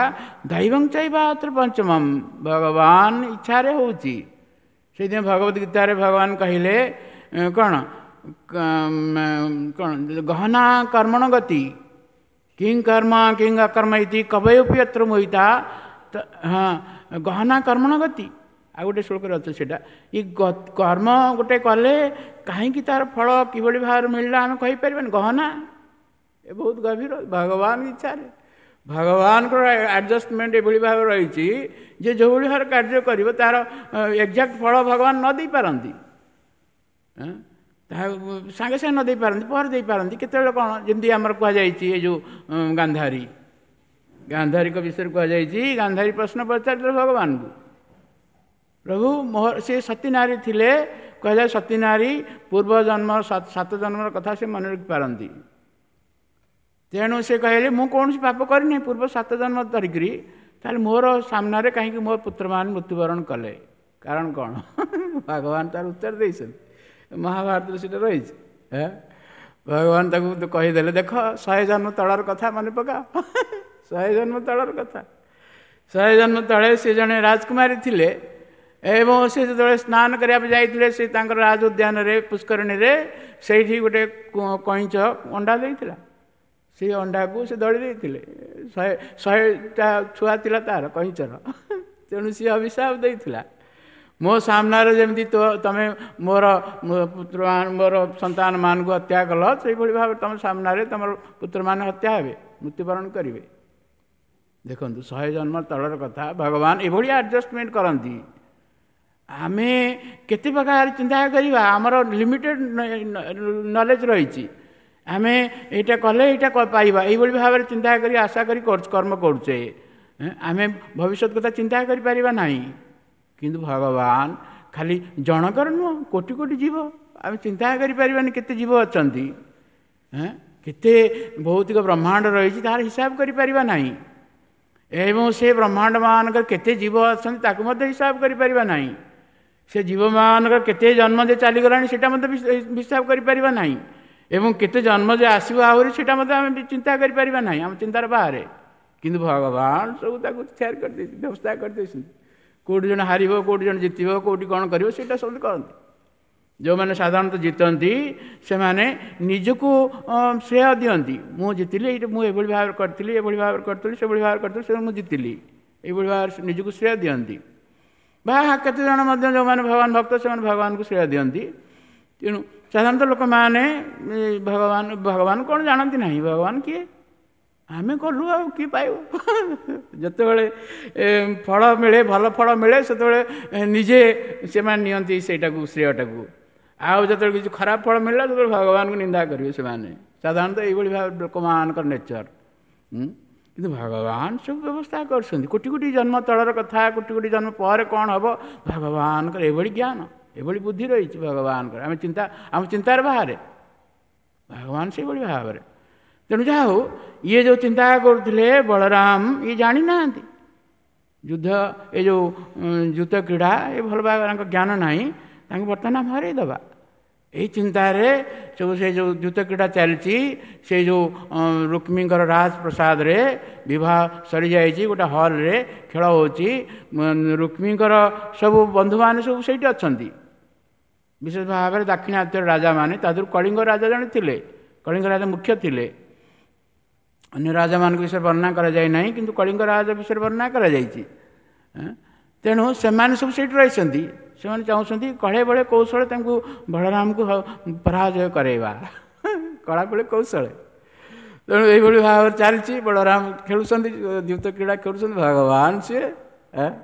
ଦୈବଂ ଚୈବାତ୍ର ପଞ୍ଚମମ୍, ଭଗବାନ ଇଚ୍ଛାରେ ହେଉଛି। ସେଇଥିପାଇଁ ଭଗବତ ଗୀତାରେ ଭଗବାନ କହିଲେ କ'ଣ କ'ଣ ଗହନା କର୍ମଣ ଗତି କିଂ କର୍ମ କିଂ ଅକର୍ମ ଇତି କବୟପି ଅତ୍ର ମୋହିତା। ହଁ, ଗହନା କର୍ମଣ ଗତି ଆଉ ଗୋଟେ ଶ୍ଲୋକରେ ଅଛି ସେଇଟା। ଏ କର୍ମ ଗୋଟେ କଲେ କାହିଁକି ତାର ଫଳ କିଭଳି ଭାବରେ ମିଳିଲା ଆମେ କହିପାରିବାନି। ଗହନା ଏ ବହୁତ ଗଭୀର, ଭଗବାନ ଇଚ୍ଛାରେ ଭଗବାନଙ୍କର ଆଡ଼ଜଷ୍ଟମେଣ୍ଟ ଏଭଳି ଭାବରେ ରହିଛି ଯେ ଯେଉଁଭଳି ଭାବରେ କାର୍ଯ୍ୟ କରିବ ତାର ଏକ୍ଜାକ୍ଟ ଫଳ ଭଗବାନ ନ ଦେଇପାରନ୍ତି, ତାହା ସାଙ୍ଗେ ସାଙ୍ଗେ ନ ଦେଇପାରନ୍ତି, ପରେ ଦେଇପାରନ୍ତି କେତେବେଳେ କ'ଣ। ଯେମିତି ଆମର କୁହାଯାଇଛି ଏ ଯେଉଁ ଗାନ୍ଧାରୀ, ଗାନ୍ଧାରୀଙ୍କ ବିଷୟରେ କୁହାଯାଇଛି, ଗାନ୍ଧାରୀ ପ୍ରଶ୍ନ ପଚାରିଥିଲେ ଭଗବାନଙ୍କୁ, ପ୍ରଭୁ ମୋର ସେ ସତୀ ନାରୀ ଥିଲେ, କୁହାଯାଏ ସତୀ ନାରୀ ପୂର୍ବ ଜନ୍ମ ସାତ ଜନ୍ମର କଥା ସେ ମନେ ରଖିପାରନ୍ତି। ତେଣୁ ସେ କହିଲେ ମୁଁ କୌଣସି ପାପ କରିନି ପୂର୍ବ ସାତ ଜନ୍ମ ଧରିକିରି, ତାହେଲେ ମୋର ସାମ୍ନାରେ କାହିଁକି ମୋ ପୁତ୍ରମାନେ ମୃତ୍ୟୁବରଣ କଲେ, କାରଣ କ'ଣ? ଭଗବାନ ତାର ଉତ୍ତର ଦେଇଛନ୍ତି, ମହାଭାରତରେ ସେଇଟା ରହିଛି। ଭଗବାନ ତାକୁ କହିଦେଲେ ଦେଖ ଶହେ ଜନ୍ମ ତଳର କଥା ମନେ ପକା, ଶହେ ଜନ୍ମ ତଳର କଥା। ଶହେ ଜନ୍ମ ତଳେ ସେ ଜଣେ ରାଜକୁମାରୀ ଥିଲେ, ଏବଂ ସେ ଯେତେବେଳେ ସ୍ନାନ କରିବା ପାଇଁ ଯାଇଥିଲେ ସେ ତାଙ୍କର ରାଜ ଉଦ୍ୟାନରେ ପୁଷ୍କରିଣୀରେ, ସେଇଠି ଗୋଟେ କଇଁଚ ଅଣ୍ଡା ଦେଇଥିଲା। ସେଇ ଅଣ୍ଡାକୁ ସେ ଦଳି ଦେଇଥିଲେ। ଶହେ ଶହେଟା ଛୁଆ ଥିଲା ତାର କଇଁଚର। ତେଣୁ ସିଏ ଅଭିଶାପ ଦେଇଥିଲା, ମୋ ସାମ୍ନାରେ ଯେମିତି ତୋ ତମେ ମୋର ପୁତ୍ର, ମୋର ସନ୍ତାନମାନଙ୍କୁ ହତ୍ୟା କଲ, ସେଇଭଳି ଭାବରେ ତୁମ ସାମ୍ନାରେ ତୁମର ପୁତ୍ରମାନେ ହତ୍ୟା ହେବେ, ମୃତ୍ୟୁବରଣ କରିବେ। ଦେଖନ୍ତୁ, ଶହେ ଜନ୍ମ ତଳର କଥା, ଭଗବାନ ଏଭଳି ଆଡ଼ଜଷ୍ଟମେଣ୍ଟ କରନ୍ତି। ଆମେ କେତେ ପ୍ରକାର ଚିନ୍ତା କରିବା, ଆମର ଲିମିଟେଡ଼ ନଲେଜ ରହିଛି। ଆମେ ଏଇଟା କଲେ ଏଇଟା ପାଇବା, ଏଇଭଳି ଭାବରେ ଚିନ୍ତା କରି ଆଶା କରି କର୍ମ କରୁଛେ। ଆମେ ଭବିଷ୍ୟତ କଥା ଚିନ୍ତା କରିପାରିବା ନାହିଁ। କିନ୍ତୁ ଭଗବାନ ଖାଲି ଜଣଙ୍କର ନୁହଁ, କୋଟି କୋଟି ଜୀବ, ଆମେ ଚିନ୍ତା କରିପାରିବାନି କେତେ ଜୀବ ଅଛନ୍ତି, କେତେ ଭୌତିକ ବ୍ରହ୍ମାଣ୍ଡ ରହିଛି, ତାହାର ହିସାବ କରିପାରିବା ନାହିଁ। ଏବଂ ସେ ବ୍ରହ୍ମାଣ୍ଡ ମାନଙ୍କର କେତେ ଜୀବ ଅଛନ୍ତି ତାକୁ ମଧ୍ୟ ହିସାବ କରିପାରିବା ନାହିଁ। ସେ ଜୀବମାନଙ୍କର କେତେ ଜନ୍ମ ଯେ ଚାଲିଗଲାଣି ସେଇଟା ମଧ୍ୟ ହିସାବ କରିପାରିବା ନାହିଁ। ଏବଂ କେତେ ଜନ୍ମ ଯେ ଆସିବ ଆହୁରି ସେଇଟା ମଧ୍ୟ ଆମେ ଚିନ୍ତା କରିପାରିବା ନାହିଁ, ଆମ ଚିନ୍ତାର ବାହାରେ। କିନ୍ତୁ ଭଗବାନ ସବୁ ତାକୁ ତିଆରି କରିଦେଇଛନ୍ତି, ବ୍ୟବସ୍ଥା କରିଦେଇଛନ୍ତି। କେଉଁଠି ଜଣେ ହାରିବ, କେଉଁଠି ଜଣେ ଜିତିବ, କେଉଁଠି କ'ଣ କରିବ, ସେଇଟା ସବୁ କରନ୍ତି। ଯେଉଁମାନେ ସାଧାରଣତଃ ଜିତନ୍ତି ସେମାନେ ନିଜକୁ ଶ୍ରେୟ ଦିଅନ୍ତି, ମୁଁ ଜିତିଲି, ଏଇଟା ମୁଁ ଏଭଳି ଭାବରେ କରିଥିଲି, ଏଭଳି ଭାବରେ କରିଥିଲି, ସେଭଳି ଭାବରେ କରିଥିଲି, ସେ ମୁଁ ଜିତିଲି, ଏଇଭଳି ଭାବରେ ନିଜକୁ ଶ୍ରେୟ ଦିଅନ୍ତି। ବା କେତେ ଜଣ ମଧ୍ୟ ଯେଉଁମାନେ ଭଗବାନ ଭକ୍ତ ସେମାନେ ଭଗବାନଙ୍କୁ ଶ୍ରେୟ ଦିଅନ୍ତି। ତେଣୁ ସାଧାରଣତଃ ଲୋକମାନେ ଭଗବାନ ଭଗବାନ କ'ଣ ଜାଣନ୍ତି ନାହିଁ, ଭଗବାନ କିଏ, ଆମେ କଲୁ ଆଉ କିଏ ପାଇବ। ଯେତେବେଳେ ଫଳ ମିଳେ, ଭଲ ଫଳ ମିଳେ, ସେତେବେଳେ ନିଜେ ସେମାନେ ନିଅନ୍ତି ସେଇଟାକୁ, ଶ୍ରେୟଟାକୁ। ଆଉ ଯେତେବେଳେ କିଛି ଖରାପ ଫଳ ମିଳିଲା ସେତେବେଳେ ଭଗବାନଙ୍କୁ ନିନ୍ଦା କରିବେ ସେମାନେ। ସାଧାରଣତଃ ଏଇଭଳି ଭାବେ ଲୋକମାନଙ୍କର ନେଚର। କିନ୍ତୁ ଭଗବାନ ସବୁ ବ୍ୟବସ୍ଥା କରୁଛନ୍ତି। କୋଟି କୋଟି ଜନ୍ମ ତଳର କଥା, କୋଟି କୋଟି ଜନ୍ମ ପରେ କ'ଣ ହେବ, ଭଗବାନଙ୍କର ଏଭଳି ଜ୍ଞାନ, ଏଭଳି ବୁଦ୍ଧି ରହିଛି ଭଗବାନଙ୍କର, ଆମେ ଚିନ୍ତା ଆମ ଚିନ୍ତାର ବାହାରେ ଭଗବାନ ସେଇଭଳି ଭାବରେ। ତେଣୁ ଯାହା ହଉ, ଇଏ ଯେଉଁ ଚିନ୍ତା କରୁଥିଲେ ବଳରାମ, ଇଏ ଜାଣିନାହାନ୍ତି ଯୁଦ୍ଧ, ଏ ଯେଉଁ ଯୁଦ୍ଧ କ୍ରୀଡ଼ା, ଏ ଭଲ ଭାବରେ ଜ୍ଞାନ ନାହିଁ, ତାଙ୍କୁ ବର୍ତ୍ତମାନ ଆମେ ହରେଇ ଦେବା। ଏଇ ଚିନ୍ତାରେ ସବୁ ସେ ଯେଉଁ ଦ୍ୟୁତ କ୍ରୀଡ଼ା ଚାଲିଛି, ସେ ଯେଉଁ ରୁକ୍ମୀଙ୍କର ରାଜପ୍ରସାଦରେ ବିବାହ ସରିଯାଇଛି, ଗୋଟେ ହଲ୍ରେ ଖେଳ ହେଉଛି, ରୁକ୍ମୀଙ୍କର ସବୁ ବନ୍ଧୁମାନେ ସବୁ ସେଇଠି ଅଛନ୍ତି। ବିଶେଷ ଭାବରେ ଦାକ୍ଷିଣାତ୍ୟର ରାଜାମାନେ, ତା ଦେହରୁ କଳିଙ୍ଗ ରାଜା ଜଣେ ଥିଲେ, କଳିଙ୍ଗ ରାଜା ମୁଖ୍ୟ ଥିଲେ। ଅନ୍ୟ ରାଜାମାନଙ୍କ ବିଷୟରେ ବର୍ଣ୍ଣନା କରାଯାଇ ନାହିଁ, କିନ୍ତୁ କଳିଙ୍ଗ ରାଜା ବିଷୟରେ ବର୍ଣ୍ଣନା କରାଯାଇଛି। ତେଣୁ ସେମାନେ ସବୁ ସେଇଠି ରହିଛନ୍ତି। ସେମାନେ ଚାହୁଁଛନ୍ତି କଳେ ବଳେ କୌଶଳେ ତାଙ୍କୁ ବଳରାମକୁ ପରାଜୟ କରାଇବା, କଳା ବଳେ କୌଶଳେ। ତେଣୁ ଏଇଭଳି ଭାବରେ ଚାଲିଛି। ବଳରାମ ଖେଳୁଛନ୍ତି, ଦ୍ୟୁତ କ୍ରୀଡ଼ା ଖେଳୁଛନ୍ତି, ଭଗବାନ ସିଏ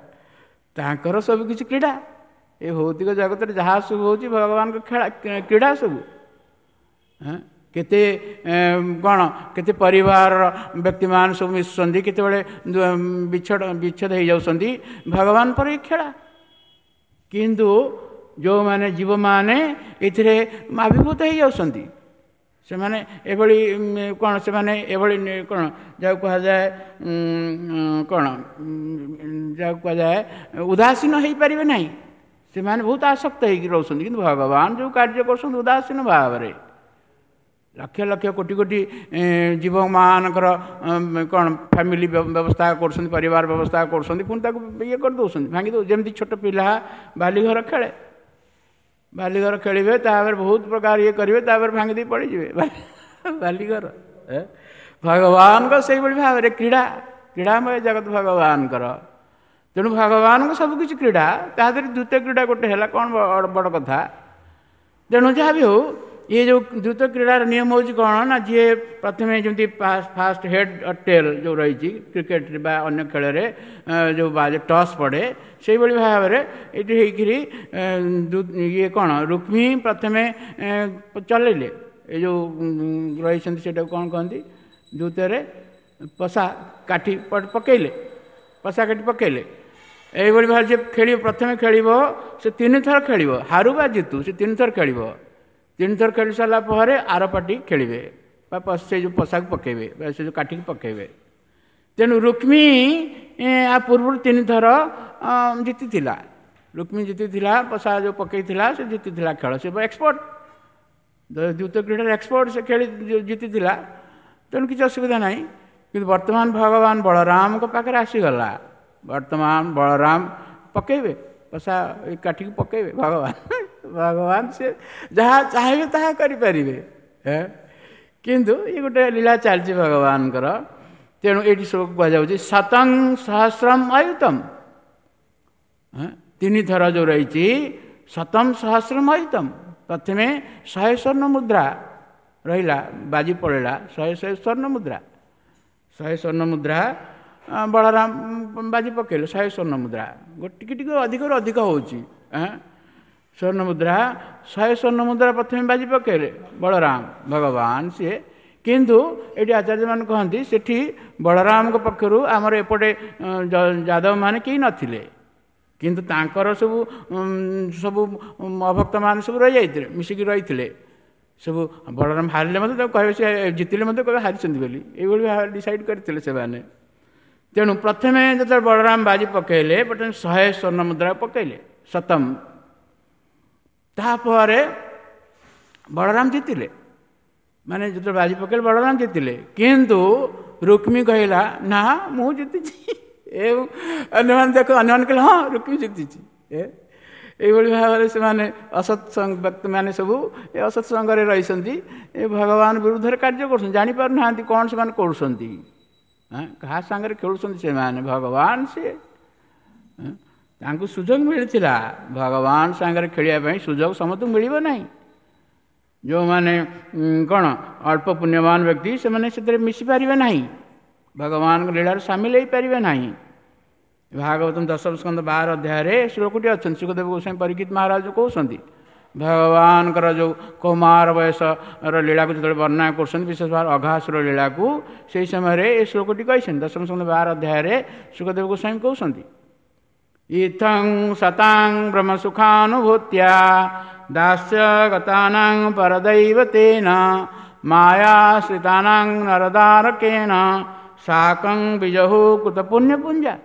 ତାଙ୍କର ସବୁ କିଛି କ୍ରୀଡ଼ା। ଏ ଭୌତିକ ଜଗତରେ ଯାହା ସବୁ ହେଉଛି ଭଗବାନଙ୍କ ଖେଳା କ୍ରୀଡ଼ା ସବୁ। କେତେ କ'ଣ କେତେ ପରିବାରର ବ୍ୟକ୍ତିମାନେ ସବୁ ମିଶୁଛନ୍ତି, କେତେବେଳେ ବିଚ୍ଛେଦ ବିଚ୍ଛେଦ ହେଇଯାଉଛନ୍ତି, ଭଗବାନ ପରେ ଏ ଖେଳା। କିନ୍ତୁ ଯେଉଁମାନେ ଜୀବମାନେ ଏଥିରେ ଆବିର୍ଭୂତ ହେଇଯାଉଛନ୍ତି, ସେମାନେ ଏଭଳି କ'ଣ, ସେମାନେ ଏଭଳି କ'ଣ ଯାହାକୁ କୁହାଯାଏ କ'ଣ ଯାହାକୁ କୁହାଯାଏ ଉଦାସୀନ ହେଇପାରିବେ ନାହିଁ। ସେମାନେ ବହୁତ ଆସକ୍ତ ହେଇକି ରହୁଛନ୍ତି। କିନ୍ତୁ ଭଗବାନ ଯେଉଁ କାର୍ଯ୍ୟ କରୁଛନ୍ତି ଉଦାସୀନ ଭାବରେ, ଲକ୍ଷ ଲକ୍ଷ କୋଟି କୋଟି ଜୀବମାନଙ୍କର କ'ଣ ଫ୍ୟାମିଲି ବ୍ୟବସ୍ଥା କରୁଛନ୍ତି, ପରିବାର ବ୍ୟବସ୍ଥା କରୁଛନ୍ତି, ପୁଣି ତାକୁ ଇଏ କରିଦେଉଛନ୍ତି, ଭାଙ୍ଗି ଦେଉ। ଯେମିତି ଛୋଟ ପିଲା ବାଲିଘର ଖେଳେ, ବାଲିଘର ଖେଳିବେ, ତାପରେ ବହୁତ ପ୍ରକାର ଇଏ କରିବେ, ତାପରେ ଭାଙ୍ଗି ଦେଇ ପଳେଇଯିବେ ବାଲିଘର। ଭଗବାନଙ୍କ ସେଇଭଳି ଭାବରେ କ୍ରୀଡ଼ା, କ୍ରୀଡ଼ାମୟ ଜଗତ ଭଗବାନଙ୍କର। ତେଣୁ ଭଗବାନଙ୍କ ସବୁକିଛି କ୍ରୀଡ଼ା, ତା ଦେହରେ ଦ୍ୱିତୀୟ କ୍ରୀଡ଼ା ଗୋଟେ ହେଲା କ'ଣ ବଡ଼ କଥା। ତେଣୁ ଯାହା ବି ହେଉ, ଇଏ ଯେଉଁ ଦ୍ରୁତ କ୍ରୀଡ଼ାର ନିୟମ ହେଉଛି କ'ଣ ନା, ଯିଏ ପ୍ରଥମେ ଯେମିତି ଫାଷ୍ଟ ହେଡ଼୍ ଟେଲ୍ ଯେଉଁ ରହିଛି କ୍ରିକେଟରେ ବା ଅନ୍ୟ ଖେଳରେ ଯେଉଁ ଟସ୍ ପଡ଼େ, ସେଇଭଳି ଭାବରେ ଏଇଠି ହେଇକିରି ଇଏ କ'ଣ ରୁକ୍ମୀ ପ୍ରଥମେ ଚଲେଇଲେ, ଏ ଯେଉଁ ରହିଛନ୍ତି ସେଇଟାକୁ କ'ଣ କହନ୍ତି, ଦ୍ରୁତରେ ପଶା କାଠି ପକେଇଲେ, ପଶା କାଠି ପକେଇଲେ। ଏଇଭଳି ଭାବରେ ଯିଏ ଖେଳିବ, ପ୍ରଥମେ ଖେଳିବ, ସେ ତିନିଥର ଖେଳିବ, ହାରୁ ବା ଜିତୁ ସେ ତିନିଥର ଖେଳିବ। ତିନିଥର ଖେଳି ସାରିଲା ପରେ ଆର ପାର୍ଟି ଖେଳିବେ ବା ସେ ଯେଉଁ ପଶାକୁ ପକେଇବେ ବା ସେ ଯେଉଁ କାଠିକୁ ପକେଇବେ। ତେଣୁ ରୁକ୍ମୀ ଆ ପୂର୍ବରୁ ତିନିଥର ଜିତିଥିଲା, ରୁକ୍ମୀ ଜିତିଥିଲା, ପଶା ଯେଉଁ ପକେଇଥିଲା ସେ ଜିତିଥିଲା ଖେଳ, ସେ ଏକ୍ସପର୍ଟ, ଦ୍ୱିତୀୟ କ୍ରୀଡ଼ାରେ ଏକ୍ସପର୍ଟ, ସେ ଖେଳି ଜିତିଥିଲା, ତେଣୁ କିଛି ଅସୁବିଧା ନାହିଁ। କିନ୍ତୁ ବର୍ତ୍ତମାନ ଭଗବାନ ବଳରାମଙ୍କ ପାଖରେ ଆସିଗଲା, ବର୍ତ୍ତମାନ ବଳରାମ ପକେଇବେ ପଶା କାଠିକି ପକେଇବେ ଭଗବାନ। ଭଗବାନ ସେ ଯାହା ଚାହିଁବେ ତାହା କରିପାରିବେ, କିନ୍ତୁ ଇଏ ଗୋଟେ ଲୀଳା ଚାଲିଛି ଭଗବାନଙ୍କର। ତେଣୁ ଏଇଠି ସବୁ କୁହାଯାଉଛି ଶତଂ ସହସ୍ରମ ଅୟୁତମ, ତିନି ଥର ଯେଉଁ ରହିଛି ଶତମ ସହସ୍ରମ ଅୟୁତମ। ପ୍ରଥମେ ଶହେ ସ୍ୱର୍ଣ୍ଣ ମୁଦ୍ରା ରହିଲା, ବାଜି ପଳେଇଲା ଶହେ ଶହେ ସ୍ୱର୍ଣ୍ଣ ମୁଦ୍ରା, ଶହେ ସ୍ୱର୍ଣ୍ଣ ମୁଦ୍ରା ବଳରାମ ବାଜି ପକେଇଲେ ଶହେ ସ୍ୱର୍ଣ୍ଣ ମୁଦ୍ରା, ଟିକେ ଟିକେ ଅଧିକରୁ ଅଧିକ ହେଉଛି। ସ୍ୱର୍ଣ୍ଣ ମୁଦ୍ରା ଶହେ ସ୍ୱର୍ଣ୍ଣ ମୁଦ୍ରା ପ୍ରଥମେ ବାଜି ପକେଇଲେ ବଳରାମ ଭଗବାନ ସିଏ। କିନ୍ତୁ ଏଠି ଆଚାର୍ଯ୍ୟମାନେ କହନ୍ତି ସେଠି ବଳରାମଙ୍କ ପକ୍ଷରୁ ଆମର ଏପଟେ ଯାଦବମାନେ କେହି ନଥିଲେ, କିନ୍ତୁ ତାଙ୍କର ସବୁ ସବୁ ଅଭକ୍ତମାନେ ସବୁ ରହିଯାଇଥିଲେ, ମିଶିକି ରହିଥିଲେ ସବୁ। ବଳରାମ ହାରିଲେ ମଧ୍ୟ ତାକୁ କହିବେ, ସେ ଜିତିଲେ ମଧ୍ୟ କହିବେ ହାରିଛନ୍ତି ବୋଲି, ଏଇଭଳି ଭାବରେ ଡିସାଇଡ଼ କରିଥିଲେ ସେମାନେ। ତେଣୁ ପ୍ରଥମେ ଯେତେବେଳେ ବଳରାମ ବାଜି ପକେଇଲେ, ପ୍ରଥମେ ଶହେ ସ୍ୱର୍ଣ୍ଣ ମୁଦ୍ରା ପକେଇଲେ ଶତମ, ତାପରେ ବଳରାମ ଜିତିଲେ, ମାନେ ଯେତେବେଳେ ବାଜି ପକେଇଲେ ବଳରାମ ଜିତିଲେ। କିନ୍ତୁ ରୁକ୍ମୀ କହିଲା ନା ମୁଁ ଜିତିଛି, ଏବଂ ଅନ୍ୟମାନେ ଦେଖ ଅନ୍ୟମାନେ କହିଲେ ହଁ ରୁକ୍ମୀ ଜିତିଛି। ଏ ଏଇଭଳି ଭାବରେ ସେମାନେ ଅସତ୍ସଙ୍ଗ ବ୍ୟକ୍ତିମାନେ ସବୁ ଏ ଅସତ୍ସଙ୍ଗରେ ରହିଛନ୍ତି, ଏ ଭଗବାନ ବିରୁଦ୍ଧରେ କାର୍ଯ୍ୟ କରୁଛନ୍ତି, ଜାଣିପାରୁନାହାନ୍ତି କ'ଣ ସେମାନେ କରୁଛନ୍ତି, କାହା ସାଙ୍ଗରେ ଖେଳୁଛନ୍ତି ସେମାନେ। ଭଗବାନ ସିଏ ତାଙ୍କୁ ସୁଯୋଗ ମିଳିଥିଲା ଭଗବାନ ସାଙ୍ଗରେ ଖେଳିବା ପାଇଁ, ସୁଯୋଗ ସମସ୍ତଙ୍କୁ ମିଳିବ ନାହିଁ। ଯେଉଁମାନେ କ'ଣ ଅଳ୍ପ ପୁଣ୍ୟବାନ ବ୍ୟକ୍ତି ସେମାନେ ସେଥିରେ ମିଶିପାରିବେ ନାହିଁ, ଭଗବାନଙ୍କ ଲୀଳାରେ ସାମିଲ ହେଇପାରିବେ ନାହିଁ। ଭାଗବତମ ଦଶମ ସ୍କନ୍ଧ ବାର ଅଧ୍ୟାୟରେ ଶ୍ଲୋକଟି ଅଛନ୍ତି, ଶୁକଦେବ ଗୋସ୍ୱାମୀ ପରୀକ୍ଷିତ ମହାରାଜ କହୁଛନ୍ତି ଭଗବାନଙ୍କର ଯେଉଁ କୌମାର ବୟସର ଲୀଳାକୁ ଯେତେବେଳେ ବର୍ଣ୍ଣନା କରୁଛନ୍ତି, ବିଶେଷ ଭାବରେ ଅଘାସୁର ଲୀଳାକୁ, ସେହି ସମୟରେ ଏ ଶ୍ଲୋକଟି କହିଛନ୍ତି। ଦଶମ ସ୍କନ୍ଧ ବାର ଅଧ୍ୟାୟରେ ଶୁକଦେବ ଗୋସ୍ୱାମୀ କହୁଛନ୍ତି, ଇଥଂ ସତାଂ ବ୍ରହ୍ମ ସୁଖାନୁଭୂତ୍ୟା ଦାସ୍ୟ ଗତାନାଂ ପରଦୈବତେନ ମାୟାଶ୍ରିତାନାଂ ନରଦାରକେଣ ସାକଂ ବିଜହୁ କୃତ ପୁଣ୍ୟପୁଞ୍ଜା।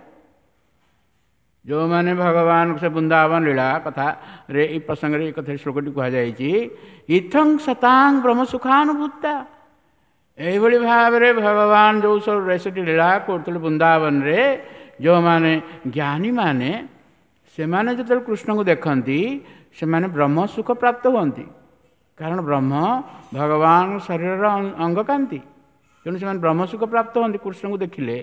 ଯେଉଁମାନେ ଭଗବାନଙ୍କ ସେ ବୃନ୍ଦାବନ ଲୀଳା କଥାରେ ଏଇ ପ୍ରସଙ୍ଗରେ ଏ କଥା ଶ୍ଲୋକଟି କୁହାଯାଇଛି, ଇଥଂ ସତାଂ ବ୍ରହ୍ମ ସୁଖାନୁଭୂତା, ଏଇଭଳି ଭାବରେ ଭଗବାନ ଯେଉଁ ସବୁ ରେସଟି ଲୀଳା କରୁଥିଲେ ବୃନ୍ଦାବନରେ, ଯେଉଁମାନେ ଜ୍ଞାନୀମାନେ ସେମାନେ ଯେତେବେଳେ କୃଷ୍ଣଙ୍କୁ ଦେଖନ୍ତି ସେମାନେ ବ୍ରହ୍ମ ସୁଖ ପ୍ରାପ୍ତ ହୁଅନ୍ତି, କାରଣ ବ୍ରହ୍ମ ଭଗବାନ ଶରୀରର ଅଙ୍ଗକାନ୍ତି, ତେଣୁ ସେମାନେ ବ୍ରହ୍ମ ସୁଖ ପ୍ରାପ୍ତ ହୁଅନ୍ତି କୃଷ୍ଣଙ୍କୁ ଦେଖିଲେ।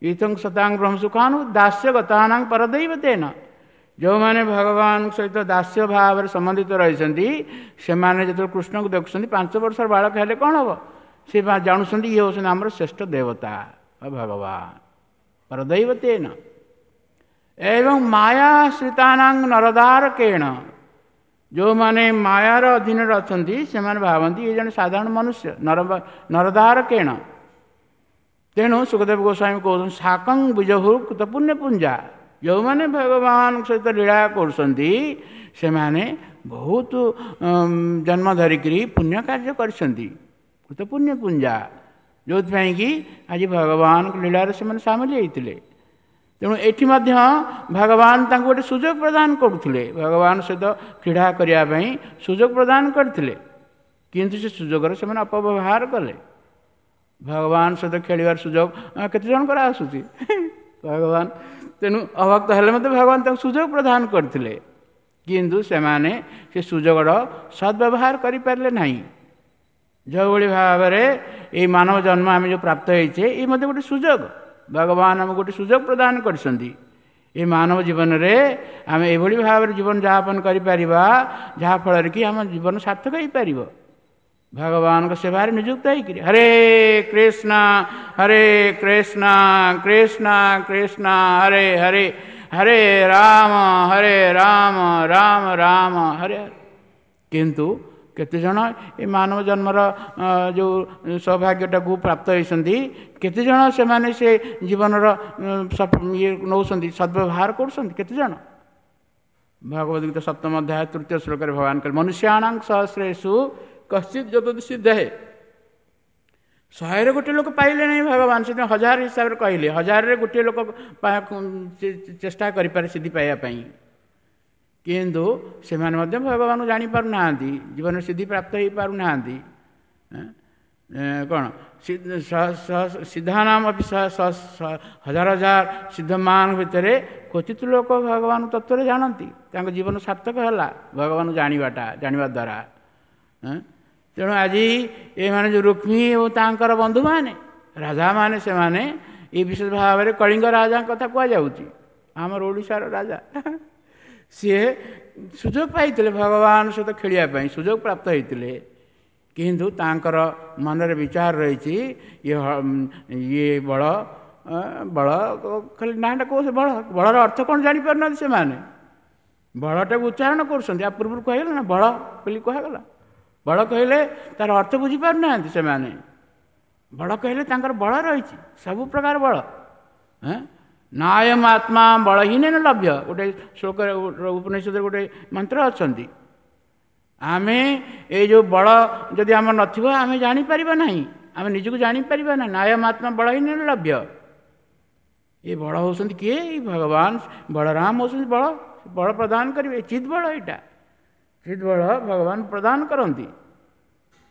ଇଥଂ ସତାଂ ବ୍ରହ୍ମ ସୁଖାନୁ ଦାସ୍ୟ ଗତାନାଂ ପରଦୈବତେନ, ଯେଉଁମାନେ ଭଗବାନଙ୍କ ସହିତ ଦାସ୍ୟ ଭାବରେ ସମ୍ବନ୍ଧିତ ରହିଛନ୍ତି ସେମାନେ ଯେତେବେଳେ କୃଷ୍ଣଙ୍କୁ ଦେଖୁଛନ୍ତି, ପାଞ୍ଚ ବର୍ଷର ବାଳକ ହେଲେ କ'ଣ ହେବ, ସେ ଜାଣୁଛନ୍ତି ଇଏ ହେଉଛନ୍ତି ଆମର ଶ୍ରେଷ୍ଠ ଦେବତା ଭଗବାନ ପରଦୈବତେନ। ଏବଂ ମାୟାଶ୍ରିତାନାଂ ନରଦାରକେଣ, ଯେଉଁମାନେ ମାୟାର ଅଧୀନରେ ଅଛନ୍ତି ସେମାନେ ଭାବନ୍ତି ଇଏ ଜଣେ ସାଧାରଣ ମନୁଷ୍ୟ, ନର ନରଦାରକେଣ। ତେଣୁ ଶୁକଦେବ ଗୋସ୍ୱାମୀ କହୁଛନ୍ତି ସାକଂ ବିଜହୁ କୃତ ପୁଣ୍ୟପୁଞ୍ଜା, ଯେଉଁମାନେ ଭଗବାନଙ୍କ ସହିତ ଲୀଳା କରୁଛନ୍ତି ସେମାନେ ବହୁତ ଜନ୍ମ ଧରିକିରି ପୁଣ୍ୟ କାର୍ଯ୍ୟ କରିଛନ୍ତି, କୃତ ପୁଣ୍ୟପୁଞ୍ଜା, ଯେଉଁଥିପାଇଁ କି ଆଜି ଭଗବାନଙ୍କ ଲୀଳାରେ ସେମାନେ ସାମିଲ ହେଇଥିଲେ। ତେଣୁ ଏଠି ମଧ୍ୟ ଭଗବାନ ତାଙ୍କୁ ଗୋଟେ ସୁଯୋଗ ପ୍ରଦାନ କରୁଥିଲେ, ଭଗବାନ ସହିତ କ୍ରୀଡ଼ା କରିବା ପାଇଁ ସୁଯୋଗ ପ୍ରଦାନ କରିଥିଲେ, କିନ୍ତୁ ସେ ସୁଯୋଗର ସେମାନେ ଅପବ୍ୟବହାର କଲେ। ଭଗବାନ ସହିତ ଖେଳିବାର ସୁଯୋଗ କେତେ ଜଣଙ୍କର ଆସୁଛି ଭଗବାନ, ତେଣୁ ଅଭକ୍ତ ହେଲେ ମଧ୍ୟ ଭଗବାନ ତାଙ୍କୁ ସୁଯୋଗ ପ୍ରଦାନ କରିଥିଲେ, କିନ୍ତୁ ସେମାନେ ସେ ସୁଯୋଗର ସଦ୍ବ୍ୟବହାର କରିପାରିଲେ ନାହିଁ। ଯେଉଁଭଳି ଭାବରେ ଏଇ ମାନବ ଜନ୍ମ ଆମେ ଯେଉଁ ପ୍ରାପ୍ତ ହେଇଛେ, ଏଇ ମଧ୍ୟ ଗୋଟେ ସୁଯୋଗ, ଭଗବାନ ଆମକୁ ଗୋଟେ ସୁଯୋଗ ପ୍ରଦାନ କରିଛନ୍ତି। ଏ ମାନବ ଜୀବନରେ ଆମେ ଏଭଳି ଭାବରେ ଜୀବନ ଯାପନ କରିପାରିବା ଯାହାଫଳରେ କି ଆମ ଜୀବନ ସାର୍ଥକ ହେଇପାରିବ, ଭଗବାନଙ୍କ ସେବାରେ ନିଯୁକ୍ତ ହେଇକିରି। ହରେ କୃଷ୍ଣ ହରେ କୃଷ୍ଣ କୃଷ୍ଣ କୃଷ୍ଣ ହରେ ହରେ, ହରେ ରାମ ହରେ ରାମ ରାମ ରାମ ହରେ ହରେ। କିନ୍ତୁ କେତେଜଣ ଏ ମାନବ ଜନ୍ମର ଯେଉଁ ସୌଭାଗ୍ୟଟାକୁ ପ୍ରାପ୍ତ ହେଇଛନ୍ତି, କେତେଜଣ ସେମାନେ ସେ ଜୀବନର ଇଏ ନେଉଛନ୍ତି, ସଦ୍ବ୍ୟବହାର କରୁଛନ୍ତି କେତେଜଣ? ଭଗବଦ ଗୀତା ସପ୍ତମ ଅଧ୍ୟାୟ ତୃତୀୟ ଶ୍ଲୋକରେ ଭଗବାନ କହିଲେ, ମନୁଷ୍ୟାଣାଂ ସହସ୍ରେଷୁ କଶ୍ଚିତ୍ ଯତତି ସିଦ୍ଧେ। ଶହେରେ ଗୋଟିଏ ଲୋକ ପାଇଲେ ନାହିଁ ଭଗବାନ, ସେଥିପାଇଁ ହଜାର ହିସାବରେ କହିଲେ, ହଜାରରେ ଗୋଟିଏ ଲୋକ ଚେଷ୍ଟା କରିପାରେ ସିଦ୍ଧି ପାଇବା ପାଇଁ, କିନ୍ତୁ ସେମାନେ ମଧ୍ୟ ଭଗବାନଙ୍କୁ ଜାଣିପାରୁନାହାନ୍ତି, ଜୀବନରେ ସିଦ୍ଧି ପ୍ରାପ୍ତ ହେଇପାରୁନାହାନ୍ତି। କ'ଣ ସିଦ୍ଧାନାମ ହଜାର ହଜାର ସିଦ୍ଧମାନଙ୍କ ଭିତରେ କ୍ୱଚିତ ଲୋକ ଭଗବାନ ତତ୍ତ୍ୱରେ ଜାଣନ୍ତି। ତାଙ୍କ ଜୀବନ ସାର୍ଥକ ହେଲା ଭଗବାନ ଜାଣିବାଟା, ଜାଣିବା ଦ୍ୱାରା। ତେଣୁ ଆଜି ଏମାନେ ଯେଉଁ ରୁକ୍ମୀ ଓ ତାଙ୍କର ବନ୍ଧୁମାନେ ରାଜାମାନେ, ସେମାନେ ଏ ବିଶେଷ ଭାବରେ କଳିଙ୍ଗ ରାଜାଙ୍କ କଥା କୁହାଯାଉଛି, ଆମର ଓଡ଼ିଶାର ରାଜା। ସିଏ ସୁଯୋଗ ପାଇଥିଲେ ଭଗବାନ ସହିତ ଖେଳିବା ପାଇଁ, ସୁଯୋଗ ପ୍ରାପ୍ତ ହେଇଥିଲେ, କିନ୍ତୁ ତାଙ୍କର ମନରେ ବିଚାର ରହିଛି ଇଏ ଇଏ ବଳ ବଳ ଖାଲି ନାଁଟା କହୁଛି ବଳ, ବଳର ଅର୍ଥ କ'ଣ ଜାଣିପାରୁନାହାନ୍ତି ସେମାନେ। ବଳଟାକୁ ଉଚ୍ଚାରଣ କରୁଛନ୍ତି, ଆ ପୂର୍ବରୁ କୁହାଗଲା ନା ବଳ ବୋଲି କୁହାଗଲା। ବଳ କହିଲେ ତାର ଅର୍ଥ ବୁଝିପାରୁନାହାନ୍ତି ସେମାନେ। ବଳ କହିଲେ ତାଙ୍କର ବଳ ରହିଛି, ସବୁ ପ୍ରକାର ବଳ। ନାୟମ ଆତ୍ମା ବଳହୀନ ଲଭ୍ୟ, ଗୋଟେ ଶ୍ଲୋକରେ ଉପନିଷଦରେ ଗୋଟେ ମନ୍ତ୍ର ଅଛନ୍ତି। ଆମେ ଏଇ ଯେଉଁ ବଳ ଯଦି ଆମର ନଥିବ ଆମେ ଜାଣିପାରିବା ନାହିଁ, ଆମେ ନିଜକୁ ଜାଣିପାରିବା ନାହିଁ। ନାୟମ ଆତ୍ମା ବଳହୀନ ଲଭ୍ୟ। ଏ ବଳ ହେଉଛନ୍ତି କିଏ? ଏଇ ଭଗବାନ ବଳରାମ ହେଉଛନ୍ତି ବଳ, ବଳ ପ୍ରଦାନ କରିବେ। ଚିତ୍ ବଳ, ଏଇଟା ଚିତ୍ ବଳ ଭଗବାନ ପ୍ରଦାନ କରନ୍ତି।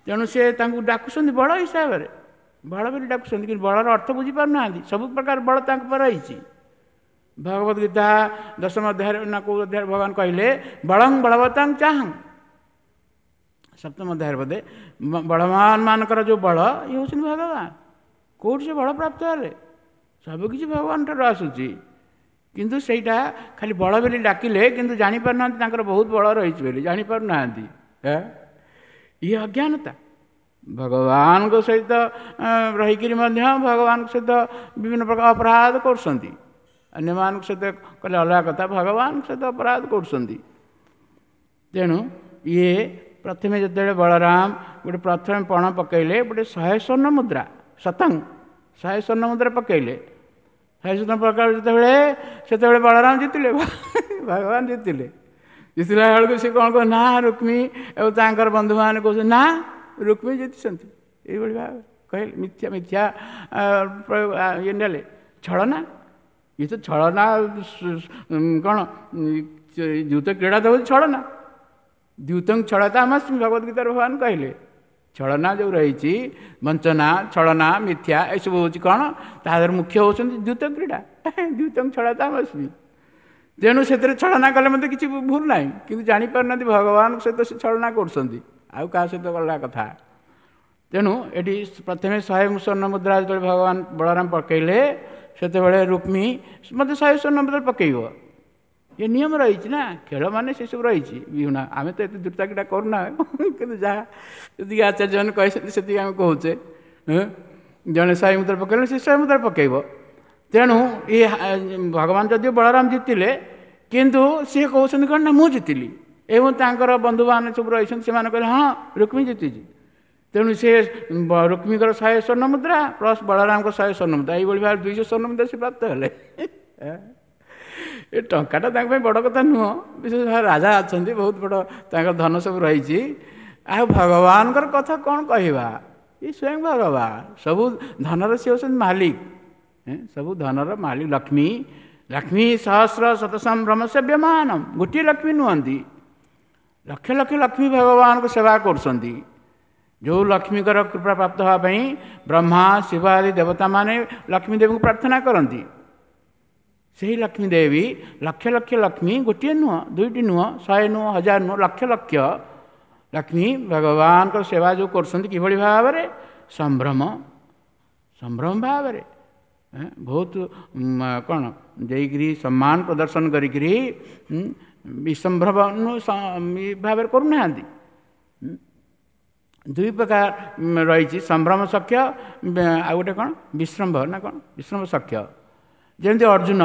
ତେଣୁ ସେ ତାଙ୍କୁ ଡାକୁଛନ୍ତି ବଳ ହିସାବରେ, ବଳ ବୋଲି ଡାକୁଛନ୍ତି, କିନ୍ତୁ ବଳର ଅର୍ଥ ବୁଝିପାରୁନାହାନ୍ତି। ସବୁ ପ୍ରକାର ବଳ ତାଙ୍କ ଉପରେ ରହିଛି। ଭଗବତ ଗୀତା ଦଶମ ଅଧ୍ୟାୟରେ ନା କେଉଁ ଅଧ୍ୟାୟରେ ଭଗବାନ କହିଲେ ବଳଂ ବଳବତାଂ ଚାହଂ, ସପ୍ତମ ଅଧ୍ୟାୟରେ ବୋଧେ, ବଳବାନ ମାନଙ୍କର ଯେଉଁ ବଳ ଇଏ ହେଉଛନ୍ତି ଭଗବାନ। କେଉଁଠି ସେ ବଳ ପ୍ରାପ୍ତ ହେଲେ? ସବୁକିଛି ଭଗବାନ ଠାରୁ ଆସୁଛି, କିନ୍ତୁ ସେଇଟା ଖାଲି ବଳ ବୋଲି ଡାକିଲେ, କିନ୍ତୁ ଜାଣିପାରୁନାହାନ୍ତି ତାଙ୍କର ବହୁତ ବଳ ରହିଛି ବୋଲି ଜାଣିପାରୁନାହାନ୍ତି। ଇଏ ଅଜ୍ଞାନତା। ଭଗବାନଙ୍କ ସହିତ ରହିକରି ମଧ୍ୟ ଭଗବାନଙ୍କ ସହିତ ବିଭିନ୍ନ ପ୍ରକାର ଅପରାଧ କରୁଛନ୍ତି। ଅନ୍ୟମାନଙ୍କ ସହିତ କଲେ ଅଲଗା କଥା, ଭଗବାନଙ୍କ ସହିତ ଅପରାଧ କରୁଛନ୍ତି। ତେଣୁ ଇଏ ପ୍ରଥମେ ଯେତେବେଳେ ବଳରାମ ଗୋଟେ ପ୍ରଥମେ ପଣ ପକାଇଲେ, ଗୋଟେ ଶହେ ସ୍ୱର୍ଣ୍ଣ ମୁଦ୍ରା, ଶତଂ ଶହେ ସ୍ୱର୍ଣ୍ଣ ମୁଦ୍ରା ପକାଇଲେ। ଶହେ ସ୍ୱର୍ଣ୍ଣ ପକାଇଲେ ଯେତେବେଳେ, ସେତେବେଳେ ବଳରାମ ଜିତିଲେ, ଭଗବାନ ଜିତିଲେ। ଜିତିଲା ବେଳକୁ ସେ କ'ଣ କହ ନା ରୁକ୍ମୀ ଏବଂ ତାଙ୍କର ବନ୍ଧୁମାନେ କହୁଛନ୍ତି ନା ରୁକ୍ମୀ ଜିତିଛନ୍ତି। ଏଇଭଳି ଭାବେ କହିଲେ, ମିଥ୍ୟା ମିଥ୍ୟା ପ୍ରୟୋଗ ଇଏ ନେଲେ, ଛଳନା। ଇଏ ତ ଛଳନା କ'ଣ? ଦ୍ୟୁତ କ୍ରୀଡ଼ା ତ ହେଉଛି ଛଳନା। ଦ୍ୟୁତଂ ଛଳତା ଆମସ୍ମି, ଭଗବତ ଗୀତାରେ ଭଗବାନ କହିଲେ। ଛଳନା ଯେଉଁ ରହିଛି, ବଞ୍ଚନା, ଛଳନା, ମିଥ୍ୟା, ଏସବୁ ହେଉଛି କ'ଣ? ତା ଦେହରେ ମୁଖ୍ୟ ହେଉଛନ୍ତି ଦ୍ୟୁତ କ୍ରୀଡ଼ା। ଦ୍ୟୁତଂ ଛଳତା ଆମସ୍ମି। ତେଣୁ ସେଥିରେ ଛଳନା କଲେ ମଧ୍ୟ କିଛି ଭୁଲ ନାହିଁ, କିନ୍ତୁ ଜାଣିପାରୁନାହାନ୍ତି ଭଗବାନଙ୍କ ସହିତ ସେ ଛଳନା କରୁଛନ୍ତି, ଆଉ କାହା ସହିତ ଅଲଗା କଥା। ତେଣୁ ଏଠି ପ୍ରଥମେ ଶହେ ସ୍ୱର୍ଣ୍ଣ ମୁଦ୍ରା ଯେତେବେଳେ ଭଗବାନ ବଳରାମ ପକାଇଲେ, ସେତେବେଳେ ରୁକ୍ମୀ ମୋତେ ଶହେ ସ୍ୱର୍ଣ୍ଣ ମୁଦ୍ରା ପକାଇବ, ଏ ନିୟମ ରହିଛି ନା, ଖେଳ ମାନେ ସେସବୁ ରହିଛି। ବିହୁଣା ଆମେ ତ ଏତେ ଦ୍ରୁତା କ୍ରୀଡ଼ା କରୁନା, କିନ୍ତୁ ଯାହା ଯେତିକି ଆଚାର୍ଯ୍ୟମାନେ କହିଛନ୍ତି ସେତିକି ଆମେ କହୁଛେ। ଜଣେ ଶହେ ମୁଦ୍ରା ପକାଇଲେ ସେ ଶହେ ମୁଦ୍ରା ପକାଇବ। ତେଣୁ ଏ ଭଗବାନ ଯଦିଓ ବଳରାମ ଜିତିଲେ, କିନ୍ତୁ ସିଏ କହୁଛନ୍ତି କ'ଣ ନା ମୁଁ ଜିତିଲି, ଏବଂ ତାଙ୍କର ବନ୍ଧୁମାନେ ସବୁ ରହିଛନ୍ତି, ସେମାନେ କହିଲେ ହଁ ରୁକ୍ମୀ ଜିତିଛି। ତେଣୁ ସେ ରୁକ୍ମୀଙ୍କର ଶହେ ସ୍ୱର୍ଣ୍ଣ ମୁଦ୍ରା ପ୍ଲସ୍ ବଳରାମଙ୍କ ଶହେ ସ୍ୱର୍ଣ୍ଣ ମୁଦ୍ରା, ଏଇଭଳି ଭାବରେ ଦୁଇଶହ ସ୍ୱର୍ଣ୍ଣ ମୁଦ୍ରା ସେ ପ୍ରାପ୍ତ ହେଲେ। ଏ ଟଙ୍କାଟା ତାଙ୍କ ପାଇଁ ବଡ଼ କଥା ନୁହଁ, ବିଶେଷ ଭାବରେ ରାଜା ଅଛନ୍ତି, ବହୁତ ବଡ଼ ତାଙ୍କର ଧନ ସବୁ ରହିଛି। ଆଉ ଭଗବାନଙ୍କର କଥା କ'ଣ କହିବା, ଏ ସ୍ୱୟଂ ଭଗବାନ, ସବୁ ଧନର ସିଏ ହେଉଛନ୍ତି ମାଲିକ, ସବୁ ଧନର ମାଲିକ। ଲକ୍ଷ୍ମୀ, ଲକ୍ଷ୍ମୀ ସହସ୍ର ଶତସମ୍ଭ୍ରମ ସେବ୍ୟମାନ, ଗୋଟିଏ ଲକ୍ଷ୍ମୀ ନୁହନ୍ତି, ଲକ୍ଷ ଲକ୍ଷ ଲକ୍ଷ୍ମୀ ଭଗବାନଙ୍କୁ ସେବା କରୁଛନ୍ତି। ଯେଉଁ ଲକ୍ଷ୍ମୀଙ୍କର କୃପା ପ୍ରାପ୍ତ ହେବା ପାଇଁ ବ୍ରହ୍ମା, ଶିବ ଆଦି ଦେବତାମାନେ ଲକ୍ଷ୍ମୀ ଦେବୀଙ୍କୁ ପ୍ରାର୍ଥନା କରନ୍ତି। ସେହି ଲକ୍ଷ୍ମୀ ଦେବୀ ଲକ୍ଷ ଲକ୍ଷ ଲକ୍ଷ୍ମୀ, ଗୋଟିଏ ନୁହଁ, ଦୁଇଟି ନୁହଁ, ଶହେ ନୁହଁ, ହଜାର ନୁହଁ, ଲକ୍ଷ ଲକ୍ଷ ଲକ୍ଷ୍ମୀ ଭଗବାନଙ୍କର ସେବା ଯେଉଁ କରୁଛନ୍ତି କିଭଳି ଭାବରେ? ସମ୍ଭ୍ରମ, ସମ୍ଭ୍ରମ ଭାବରେ, ବହୁତ କ'ଣ ଦେଇକରି ସମ୍ମାନ ପ୍ରଦର୍ଶନ କରିକିରି, ବିସମ୍ଭ୍ରମ ଭାବରେ କରୁନାହାନ୍ତି। ଦୁଇ ପ୍ରକାର ରହିଛି, ସମ୍ଭ୍ରମ ସଖ୍ୟ, ଆଉ ଗୋଟେ କ'ଣ ବିଶ୍ରମ୍ଭ ନା କ'ଣ, ବିଶ୍ରମ୍ଭ ସଖ୍ୟ। ଯେମିତି ଅର୍ଜୁନ,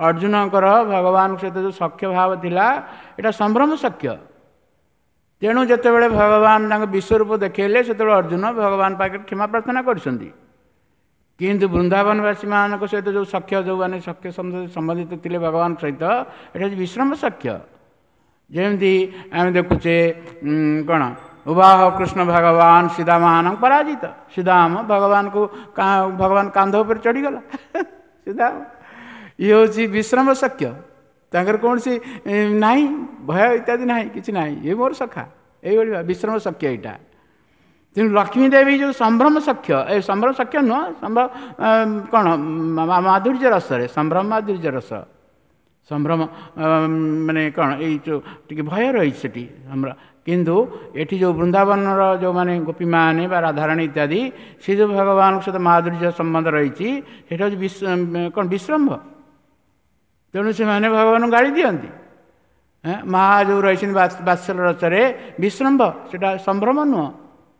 ଅର୍ଜୁନଙ୍କର ଭଗବାନଙ୍କ ସହିତ ଯେଉଁ ସଖ୍ୟ ଭାବ ଥିଲା, ଏଇଟା ସମ୍ଭ୍ରମ ସଖ୍ୟ। ତେଣୁ ଯେତେବେଳେ ଭଗବାନ ତାଙ୍କ ବିଶ୍ୱରୂପ ଦେଖେଇଲେ, ସେତେବେଳେ ଅର୍ଜୁନ ଭଗବାନ ପାଖରେ କ୍ଷମା ପ୍ରାର୍ଥନା କରିଛନ୍ତି। କିନ୍ତୁ ବୃନ୍ଦାବନବାସୀମାନଙ୍କ ସହିତ ଯେଉଁ ସଖ୍ୟ, ଯେଉଁମାନେ ସଖ୍ୟ ସମ୍ବନ୍ଧିତ ଥିଲେ ଭଗବାନଙ୍କ ସହିତ, ଏଇଟା ହେଉଛି ବିଶ୍ରମ ସଖ୍ୟ। ଯେମିତି ଆମେ ଦେଖୁଛେ କ'ଣ, ଉବାହ କୃଷ୍ଣ ଭଗବାନ ଶ୍ରୀଦାମାନଙ୍କ ପରାଜିତ। ଶ୍ରୀଦାମ ଭଗବାନଙ୍କୁ ଭଗବାନ କାନ୍ଧ ଉପରେ ଚଢ଼ିଗଲା ଶ୍ରୀଦାମ। ଇଏ ହେଉଛି ବିଶ୍ରମ ସଖ୍ୟ, ତାଙ୍କର କୌଣସି ନାହିଁ ଭୟ ଇତ୍ୟାଦି ନାହିଁ, କିଛି ନାହିଁ, ଇଏ ମୋର ସଖା, ଏଇଭଳି ବିଶ୍ରମ ସଖ୍ୟ ଏଇଟା। ତେଣୁ ଲକ୍ଷ୍ମୀ ଦେବୀ ଯେଉଁ ସମ୍ଭ୍ରମ ସଖ୍ୟ, ଏ ସମ୍ଭ୍ରମ ସଖ୍ୟ ନୁହଁ, ସମ୍ଭ୍ରମ କ'ଣ ମାଧୁର୍ଯ୍ୟ ରସରେ, ସମ୍ଭ୍ରମ ମାଧୁର୍ଯ୍ୟ ରସ, ସମ୍ଭ୍ରମ ମାନେ କ'ଣ ଏଇ ଯେଉଁ ଟିକେ ଭୟ ରହିଛି ସେଠି ଆମର। କିନ୍ତୁ ଏଠି ଯେଉଁ ବୃନ୍ଦାବନର ଯେଉଁମାନେ ଗୋପୀମାନେ ବା ରାଧାରାଣୀ ଇତ୍ୟାଦି, ସେ ଯେଉଁ ଭଗବାନଙ୍କ ସହିତ ମାଧୁର୍ଯ୍ୟ ସମ୍ବନ୍ଧ ରହିଛି, ସେଇଟା ହେଉଛି କ'ଣ ବିଶ୍ରମ୍ଭ। ତେଣୁ ସେମାନେ ଭଗବାନଙ୍କୁ ଗାଳି ଦିଅନ୍ତି। ମା ଯେଉଁ ରହିଛନ୍ତି ବାତ୍ସଲ୍ୟ ରସରେ ବିଶ୍ରମ୍ଭ, ସେଇଟା ସମ୍ଭ୍ରମ ନୁହଁ।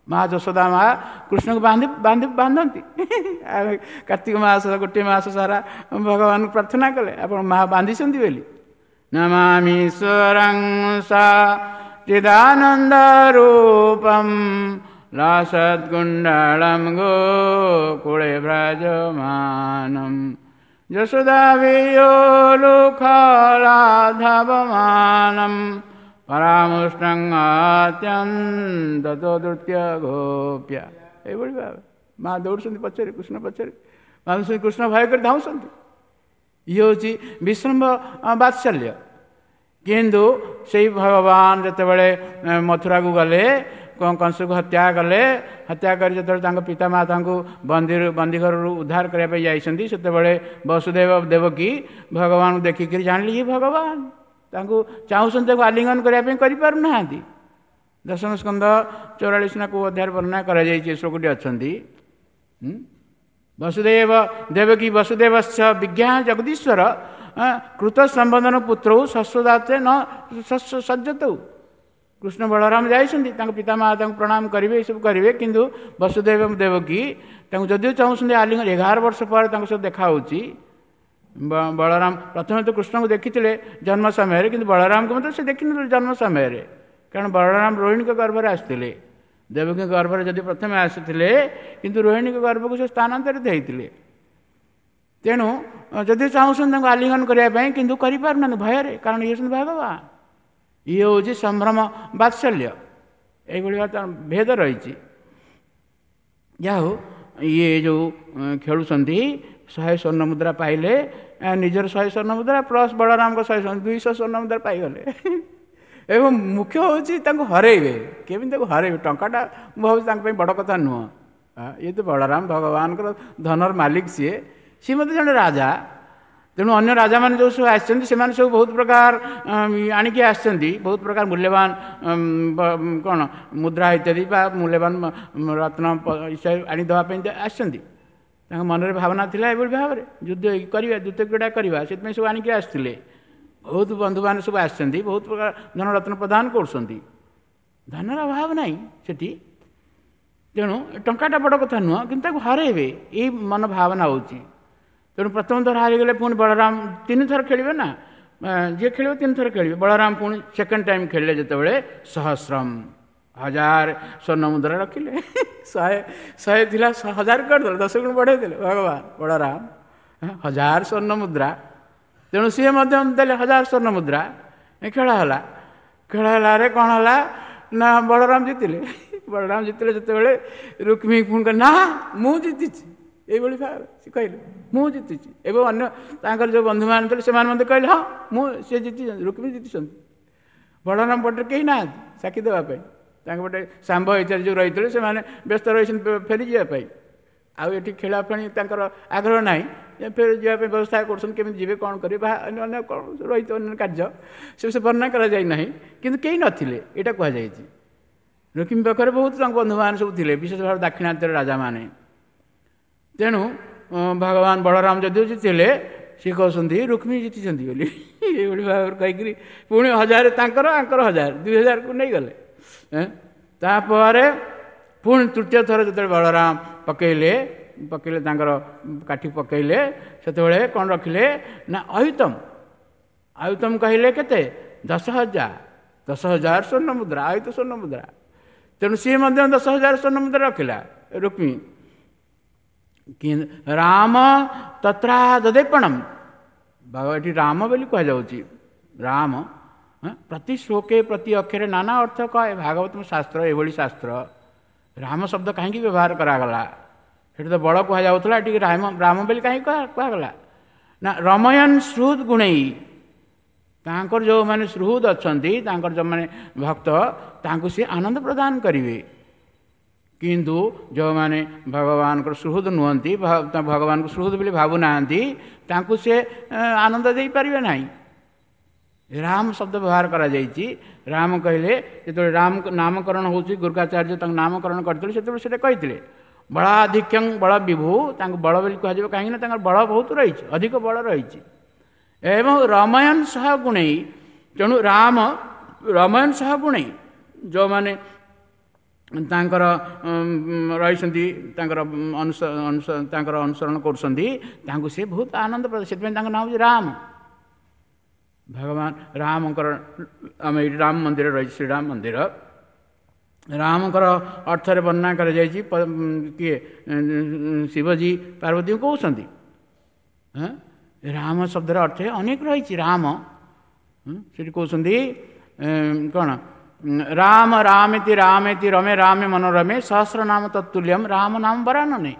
ମା ଯଶୋଦା ମା କୃଷ୍ଣକୁ ବାନ୍ଧି ବାନ୍ଧି ବାନ୍ଧନ୍ତି। କାର୍ତ୍ତିକ ମାସ ଗୋଟିଏ ମାସ ସାରା ଭଗବାନଙ୍କୁ ପ୍ରାର୍ଥନା କଲେ ଆପଣ ମା ବାନ୍ଧିଛନ୍ତି ବୋଲି। ନମାମି ସ୍ୱରଂ ସା ଚିଦାନନ୍ଦ ରୂପಂ ଲାସଦ୍ଗୁଣ୍ଡଳಂ ଗୋକୁଳେ ଭ୍ରଜମାନಂ ଯଶୋଦା ବିୟୋଲୁଖଲାଧବମାନಂ ପରାମୃଷ୍ଟଂ ଅତ୍ୟନ୍ତ ଦ୍ରୁତ୍ୟ ଗୋପ୍ୟା। ଏଇଭଳି ଭାବେ ମା ଦୌଡ଼ୁଛନ୍ତି ପଛରେ, କୃଷ୍ଣ ପଛରେ ବାନ୍ଧୁଛନ୍ତି, କୃଷ୍ଣ ଭୟ କରି ଧାଉଁଛନ୍ତି। ଇଏ ହେଉଛି ବିଶ୍ରମ୍ଭ ବାତ୍ସଲ୍ୟ। କିନ୍ତୁ ସେଇ ଭଗବାନ ଯେତେବେଳେ ମଥୁରାକୁ ଗଲେ, କଂସକୁ ହତ୍ୟା କଲେ, ହତ୍ୟା କରି ଯେତେବେଳେ ତାଙ୍କ ପିତାମାତାଙ୍କୁ ବନ୍ଦୀରୁ ବନ୍ଦୀଘରରୁ ଉଦ୍ଧାର କରିବା ପାଇଁ ଯାଇଛନ୍ତି, ସେତେବେଳେ ବସୁଦେବ ଦେବକୀ ଭଗବାନଙ୍କୁ ଦେଖିକିରି ଜାଣିଲେ ଇଏ ଭଗବାନ। ତାଙ୍କୁ ଚାହୁଁଛନ୍ତି ତାକୁ ଆଲିଙ୍ଗନ କରିବା ପାଇଁ, କରିପାରୁନାହାନ୍ତି। ଦଶମ ସ୍କନ୍ଧ ଚଉରାଳିଶ ନା କେଉଁ ଅଧ୍ୟାୟରେ ବର୍ଣ୍ଣନା କରାଯାଇଛି, ଏ ଶ୍ଲୋକଟି ଅଛନ୍ତି। ବସୁଦେବ ଦେବକୀ ବସୁଦେବସ୍ୟ ବିଜ୍ଞାନ ଜଗଦୀଶ୍ୱର କୃତ ସମ୍ବନ୍ଧନ ପୁତ୍ରଉ ଶସ୍ୱଦାତେ ନ ସଜ୍ଜତଉ। କୃଷ୍ଣ ବଳରାମ ଯାଇଛନ୍ତି, ତାଙ୍କ ପିତାମାତାଙ୍କୁ ପ୍ରଣାମ କରିବେ, ଏସବୁ କରିବେ, କିନ୍ତୁ ବସୁଦେବ ଦେବକୀ ତାଙ୍କୁ ଯଦିଓ ଚାହୁଁଛନ୍ତି ଆଲିଙ୍ଗନ, ଏଗାର ବର୍ଷ ପରେ ତାଙ୍କ ସହିତ ଦେଖା ହେଉଛି। ବଳରାମ ପ୍ରଥମେ ତ କୃଷ୍ଣଙ୍କୁ ଦେଖିଥିଲେ ଜନ୍ମ ସମୟରେ, କିନ୍ତୁ ବଳରାମଙ୍କୁ ମଧ୍ୟ ସେ ଦେଖିନଥିଲେ ଜନ୍ମ ସମୟରେ, କାରଣ ବଳରାମ ରୋହିଣୀଙ୍କ ଗର୍ଭରେ ଆସିଥିଲେ। ଦେବକୀଙ୍କ ଗର୍ଭରେ ଯଦି ପ୍ରଥମେ ଆସିଥିଲେ, କିନ୍ତୁ ରୋହିଣୀଙ୍କ ଗର୍ଭକୁ ସେ ସ୍ଥାନାନ୍ତରିତ ହେଇଥିଲେ। ତେଣୁ ଯଦି ଚାହୁଁଛନ୍ତି ତାଙ୍କୁ ଆଲିଙ୍ଗନ କରିବା ପାଇଁ, କିନ୍ତୁ କରିପାରୁନାହାନ୍ତି ଭୟରେ, କାରଣ ଇଏ ହେଉଛନ୍ତି ଭଗବାନ। ଇଏ ହେଉଛି ସମ୍ଭ୍ରମ ବାତ୍ସଲ୍ୟ। ଏଇଭଳି ଭାବେ ତାର ଭେଦ ରହିଛି। ଯାହା ହଉ, ଇଏ ଯେଉଁ ଖେଳୁଛନ୍ତି, ଶହେ ସ୍ୱର୍ଣ୍ଣ ମୁଦ୍ରା ପାଇଲେ, ନିଜର ଶହେ ସ୍ୱର୍ଣ୍ଣ ମୁଦ୍ରା ପ୍ଲସ୍ ବଳରାମଙ୍କ ଶହେ ଦୁଇଶହ ସ୍ୱର୍ଣ୍ଣ ମୁଦ୍ରା ପାଇଗଲେ। ଏବଂ ମୁଖ୍ୟ ହେଉଛି ତାଙ୍କୁ ହରେଇବେ, କେମିତି ତାକୁ ହରେଇବେ। ଟଙ୍କାଟା ମୁଁ ଭାବୁଛି ତାଙ୍କ ପାଇଁ ବଡ଼ କଥା ନୁହଁ। ଇଏ ତ ବଳରାମ ଭଗବାନଙ୍କର ଧନର ମାଲିକ, ସିଏ ସିଏ ମଧ୍ୟ ଜଣେ ରାଜା। ତେଣୁ ଅନ୍ୟ ରାଜାମାନେ ଯେଉଁ ସବୁ ଆସିଛନ୍ତି, ସେମାନେ ସବୁ ବହୁତ ପ୍ରକାର ଆଣିକି ଆସିଛନ୍ତି, ବହୁତ ପ୍ରକାର ମୂଲ୍ୟବାନ କ'ଣ ମୁଦ୍ରା ଇତ୍ୟାଦି ବା ମୂଲ୍ୟବାନ ରତ୍ନ ଆଣି ଦେବା ପାଇଁ ଆସିଛନ୍ତି। ତାଙ୍କ ମନରେ ଭାବନା ଥିଲା ଏଭଳି ଭାବରେ ଯୁଦ୍ଧ କରିବା, ଯୁଦ୍ଧ କ୍ରୀଡ଼ା କରିବା, ସେଥିପାଇଁ ସବୁ ଆଣିକି ଆସିଥିଲେ। ବହୁତ ବନ୍ଧୁମାନେ ସବୁ ଆସିଛନ୍ତି, ବହୁତ ପ୍ରକାର ଧନରତ୍ନ ପ୍ରଦାନ କରୁଛନ୍ତି। ଧନର ଅଭାବ ନାହିଁ ସେଠି। ତେଣୁ ଟଙ୍କାଟା ବଡ଼ କଥା ନୁହଁ, କିନ୍ତୁ ତାକୁ ହରେଇବେ ଏଇ ମନ ଭାବନା ହେଉଛି। ତେଣୁ ପ୍ରଥମ ଥର ହାରିଗଲେ, ପୁଣି ବଳରାମ ତିନି ଥର ଖେଳିବେ ନା, ଯିଏ ଖେଳିବ ତିନି ଥର ଖେଳିବେ। ବଳରାମ ପୁଣି ସେକେଣ୍ଡ ଟାଇମ୍ ଖେଳିଲେ ଯେତେବେଳେ ସହସ୍ରମ ହଜାର ସ୍ୱର୍ଣ୍ଣ ମୁଦ୍ରା ରଖିଲେ। ଶହେ ଶହେ ଥିଲା, ହଜାର କରିଦେଲେ, ଦଶ ଗୁଣ ବଢ଼େଇ ଦେଲେ ଭଗବାନ ବଳରାମ, ହଜାର ସ୍ୱର୍ଣ୍ଣ ମୁଦ୍ରା। ତେଣୁ ସିଏ ମଧ୍ୟ ଦେଲେ ହଜାର ସ୍ୱର୍ଣ୍ଣ ମୁଦ୍ରା। ଖେଳ ହେଲା, ଖେଳ ହେଲାରେ କ'ଣ ହେଲା ନା ବଳରାମ ଜିତିଲେ। ବଳରାମ ଜିତିଲେ ଯେତେବେଳେ ରୁକ୍ମିଣୀ ପୁଣି କହିଲେ, ନା ମୁଁ ଜିତିଛି। ଏଇଭଳି ଭାବେ ସେ କହିଲେ ମୁଁ ଜିତିଛି। ଏବଂ ଅନ୍ୟ ତାଙ୍କର ଯେଉଁ ବନ୍ଧୁମାନେ ଥିଲେ ସେମାନେ ମଧ୍ୟ କହିଲେ ହଁ ମୁଁ ସେ ଜିତିଛନ୍ତି, ରୁକ୍ମିଣୀ ଜିତିଛନ୍ତି। ବଳରାମ ପଟରେ କେହି ନାହାନ୍ତି ସାକ୍ଷୀ ଦେବା ପାଇଁ। ତାଙ୍କ ପଟେ ଶାମ୍ବ ଇତ୍ୟାଦି ଯେଉଁ ରହିଥିଲେ ସେମାନେ ବ୍ୟସ୍ତ ରହିଛନ୍ତି ଫେରିଯିବା ପାଇଁ। ଆଉ ଏଠି ଖେଳିବା ପାଇଁ ତାଙ୍କର ଆଗ୍ରହ ନାହିଁ, ଫେରି ଯିବା ପାଇଁ ବ୍ୟବସ୍ଥା କରୁଛନ୍ତି, କେମିତି ଯିବେ କ'ଣ କରିବେ ବା ଅନ୍ୟ ଅନ୍ୟ କ'ଣ ରହିଥିବ ଅନ୍ୟ କାର୍ଯ୍ୟ, ସେ ବିଷୟ ବର୍ଣ୍ଣନା କରାଯାଇ ନାହିଁ। କିନ୍ତୁ କେହି ନଥିଲେ ଏଇଟା କୁହାଯାଇଛି। ରୁକ୍ମିଣୀ ପାଖରେ ବହୁତ ତାଙ୍କ ବନ୍ଧୁମାନେ ସବୁ ଥିଲେ, ବିଶେଷ ଭାବେ ଦାକ୍ଷିଣାତ୍ୟର ରାଜାମାନେ। ତେଣୁ ଭଗବାନ ବଳରାମ ଯଦିଓ ଜିତିଲେ, ସିଏ କହୁଛନ୍ତି ରୁକ୍ମିଣୀ ଜିତିଛନ୍ତି ବୋଲି। ଏଇଭଳି ଭାବରେ କହିକିରି ପୁଣି ହଜାର ତାଙ୍କର ଆଙ୍କର ହଜାର ଦୁଇ ହଜାରକୁ ନେଇଗଲେ। ତାପରେ ପୁଣି ତୃତୀୟ ଥର ଯେତେବେଳେ ବଳରାମ ପକେଇଲେ ପକେଇଲେ ତାଙ୍କର କାଠି ପକେଇଲେ, ସେତେବେଳେ କ'ଣ ରଖିଲେ ନା ଅୟୁତମ। ଅୟୁତମ କହିଲେ କେତେ? ଦଶ ହଜାର, ଦଶ ହଜାର ସ୍ୱର୍ଣ୍ଣ ମୁଦ୍ରା, ଅୟୁତ ସ୍ୱର୍ଣ୍ଣ ମୁଦ୍ରା। ତେଣୁ ସିଏ ମଧ୍ୟ ଦଶ ହଜାର ସ୍ୱର୍ଣ୍ଣ ମୁଦ୍ରା ରଖିଲା ରୁକ୍ମିଣୀ। ରାମ ତତ୍ରା ଦଦେପଣମ, ଏଠି ରାମ ବୋଲି କୁହାଯାଉଛି। ରାମ ପ୍ରତି ଶ୍ଲୋକେ ପ୍ରତି ଅକ୍ଷରେ ନାନା ଅର୍ଥ କହେ। ଭାଗବତ ଶାସ୍ତ୍ର ଏଭଳି ଶାସ୍ତ୍ର। ରାମ ଶବ୍ଦ କାହିଁକି ବ୍ୟବହାର କରାଗଲା? ସେଠି ତ ବଳ କୁହାଯାଉଥିଲା, ଏଠି ରାମ ରାମ ବୋଲି କାହିଁକି କୁହାଗଲା ନା ରମୟନ ସୁହୃଦ ଗୁଣେଇ, ତାଙ୍କର ଯେଉଁମାନେ ସୁହୃଦ ଅଛନ୍ତି, ତାଙ୍କର ଯେଉଁମାନେ ଭକ୍ତ, ତାଙ୍କୁ ସିଏ ଆନନ୍ଦ ପ୍ରଦାନ କରିବେ। କିନ୍ତୁ ଯେଉଁମାନେ ଭଗବାନଙ୍କର ସୁହୃଦ ନୁହନ୍ତି, ଭଗବାନଙ୍କୁ ସୁହୃଦ ବୋଲି ଭାବୁନାହାନ୍ତି, ତାଙ୍କୁ ସେ ଆନନ୍ଦ ଦେଇପାରିବେ ନାହିଁ। ରାମ ଶବ୍ଦ ବ୍ୟବହାର କରାଯାଇଛି। ରାମ କହିଲେ ଯେତେବେଳେ ରାମ ନାମକରଣ ହେଉଛି, ଗୁର୍ଗାଚାର୍ଯ୍ୟ ତାଙ୍କ ନାମକରଣ କରିଥିଲେ, ସେତେବେଳେ ସେଟା କହିଥିଲେ ବଳାଧିକ୍ୟଂ ବଳ ବିଭୁ। ତାଙ୍କୁ ବଳ ବୋଲି କୁହାଯିବ କାହିଁକିନା ତାଙ୍କର ବଳ ବହୁତ ରହିଛି, ଅଧିକ ବଳ ରହିଛି। ଏବଂ ରମୟନ ସହ ଗୁଣେଇ, ତେଣୁ ରାମ ରମୟନ ସହ ଗୁଣେଇ, ଯେଉଁମାନେ ତାଙ୍କର ରହିଛନ୍ତି, ତାଙ୍କର ତାଙ୍କର ଅନୁସରଣ କରୁଛନ୍ତି, ତାଙ୍କୁ ସେ ବହୁତ ଆନନ୍ଦ ପ୍ରଦାନ, ସେଥିପାଇଁ ତାଙ୍କ ନାଁ ହେଉଛି ରାମ। ଭଗବାନ ରାମଙ୍କର ଆମେ ଏଇଠି ରାମ ମନ୍ଦିର ରହିଛି, ଶ୍ରୀରାମ ମନ୍ଦିର। ରାମଙ୍କର ଅର୍ଥରେ ବର୍ଣ୍ଣନା କରାଯାଇଛି, କିଏ ଶିବଜୀ ପାର୍ବତୀଙ୍କୁ କହୁଛନ୍ତି। ରାମ ଶବ୍ଦର ଅର୍ଥ ଅନେକ ରହିଛି। ରାମ ସେଠି କହୁଛନ୍ତି କ'ଣ? ରାମ ରାମେତି ରାମେତି ରମେ ରାମେ ମନୋରମେ ସହସ୍ର ନାମ ତତ୍ତୁଲ୍ୟମ ରାମ ନାମ ବରାନନେ।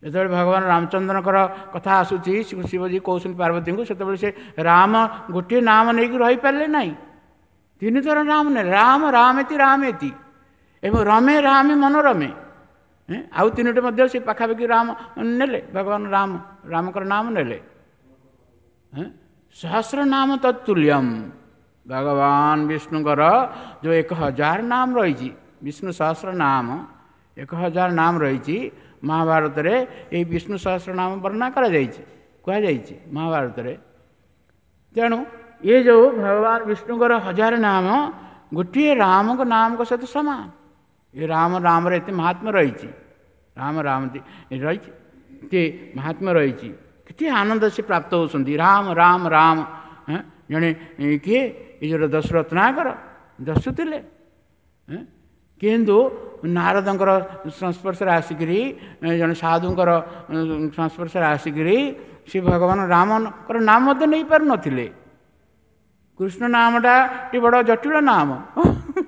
ଯେତେବେଳେ ଭଗବାନ ରାମଚନ୍ଦ୍ରଙ୍କର କଥା ଆସୁଛି, ଶିବଜୀ କହୁଛନ୍ତି ପାର୍ବତୀଙ୍କୁ, ସେତେବେଳେ ସେ ରାମ ଗୋଟିଏ ନାମ ନେଇକି ରହିପାରିଲେ ନାହିଁ, ତିନିଥର ରାମ ନେଲେ, ରାମ ରାମେତି ରାମେତି ଏବଂ ରମେ ରାମେ ମନୋରମେ। ଆଉ ତିନୋଟି ମଧ୍ୟ ସେ ପାଖାପାଖି ରାମ ନେଲେ, ଭଗବାନ ରାମ ରାମଙ୍କର ନାମ ନେଲେ। ସହସ୍ର ନାମ ତତ୍ତୁଲ୍ୟମ, ଭଗବାନ ବିଷ୍ଣୁଙ୍କର ଯେଉଁ ଏକ ହଜାର ନାମ ରହିଛି, ବିଷ୍ଣୁ ସହସ୍ର ନାମ ଏକ ହଜାର ନାମ ରହିଛି। ମହାଭାରତରେ ଏଇ ବିଷ୍ଣୁ ସହସ୍ର ନାମ ବର୍ଣ୍ଣନା କରାଯାଇଛି, କୁହାଯାଇଛି ମହାଭାରତରେ। ତେଣୁ ଏ ଯେଉଁ ଭଗବାନ ବିଷ୍ଣୁଙ୍କର ହଜାର ନାମ ଗୋଟିଏ ରାମଙ୍କ ନାମଙ୍କ ସହିତ ସମାନ। ଏ ରାମ ରାମର ଏତେ ମହାତ୍ମ୍ୟ ରହିଛି, ରାମ ରାମ ରହିଛି, ଏତେ ମହାତ୍ମ୍ୟ ରହିଛି, କେତେ ଆନନ୍ଦ ସେ ପ୍ରାପ୍ତ ହେଉଛନ୍ତି। ରାମ ରାମ ରାମ। ଜଣେ କିଏ ଏ ଯେଉଁ ଦଶରତ୍ନାକର ଦସ୍ୟୁ ଥିଲେ, କିନ୍ତୁ ନାରଦଙ୍କର ସଂସ୍ପର୍ଶରେ ଆସିକରି, ଜଣେ ସାଧୁଙ୍କର ସଂସ୍ପର୍ଶରେ ଆସିକରି ସେ ଭଗବାନ ରାମଙ୍କର ନାମ ମଧ୍ୟ ନେଇପାରୁନଥିଲେ। କୃଷ୍ଣ ନାମଟା ଟିକେ ବଡ଼ ଜଟିଳ ନାମ,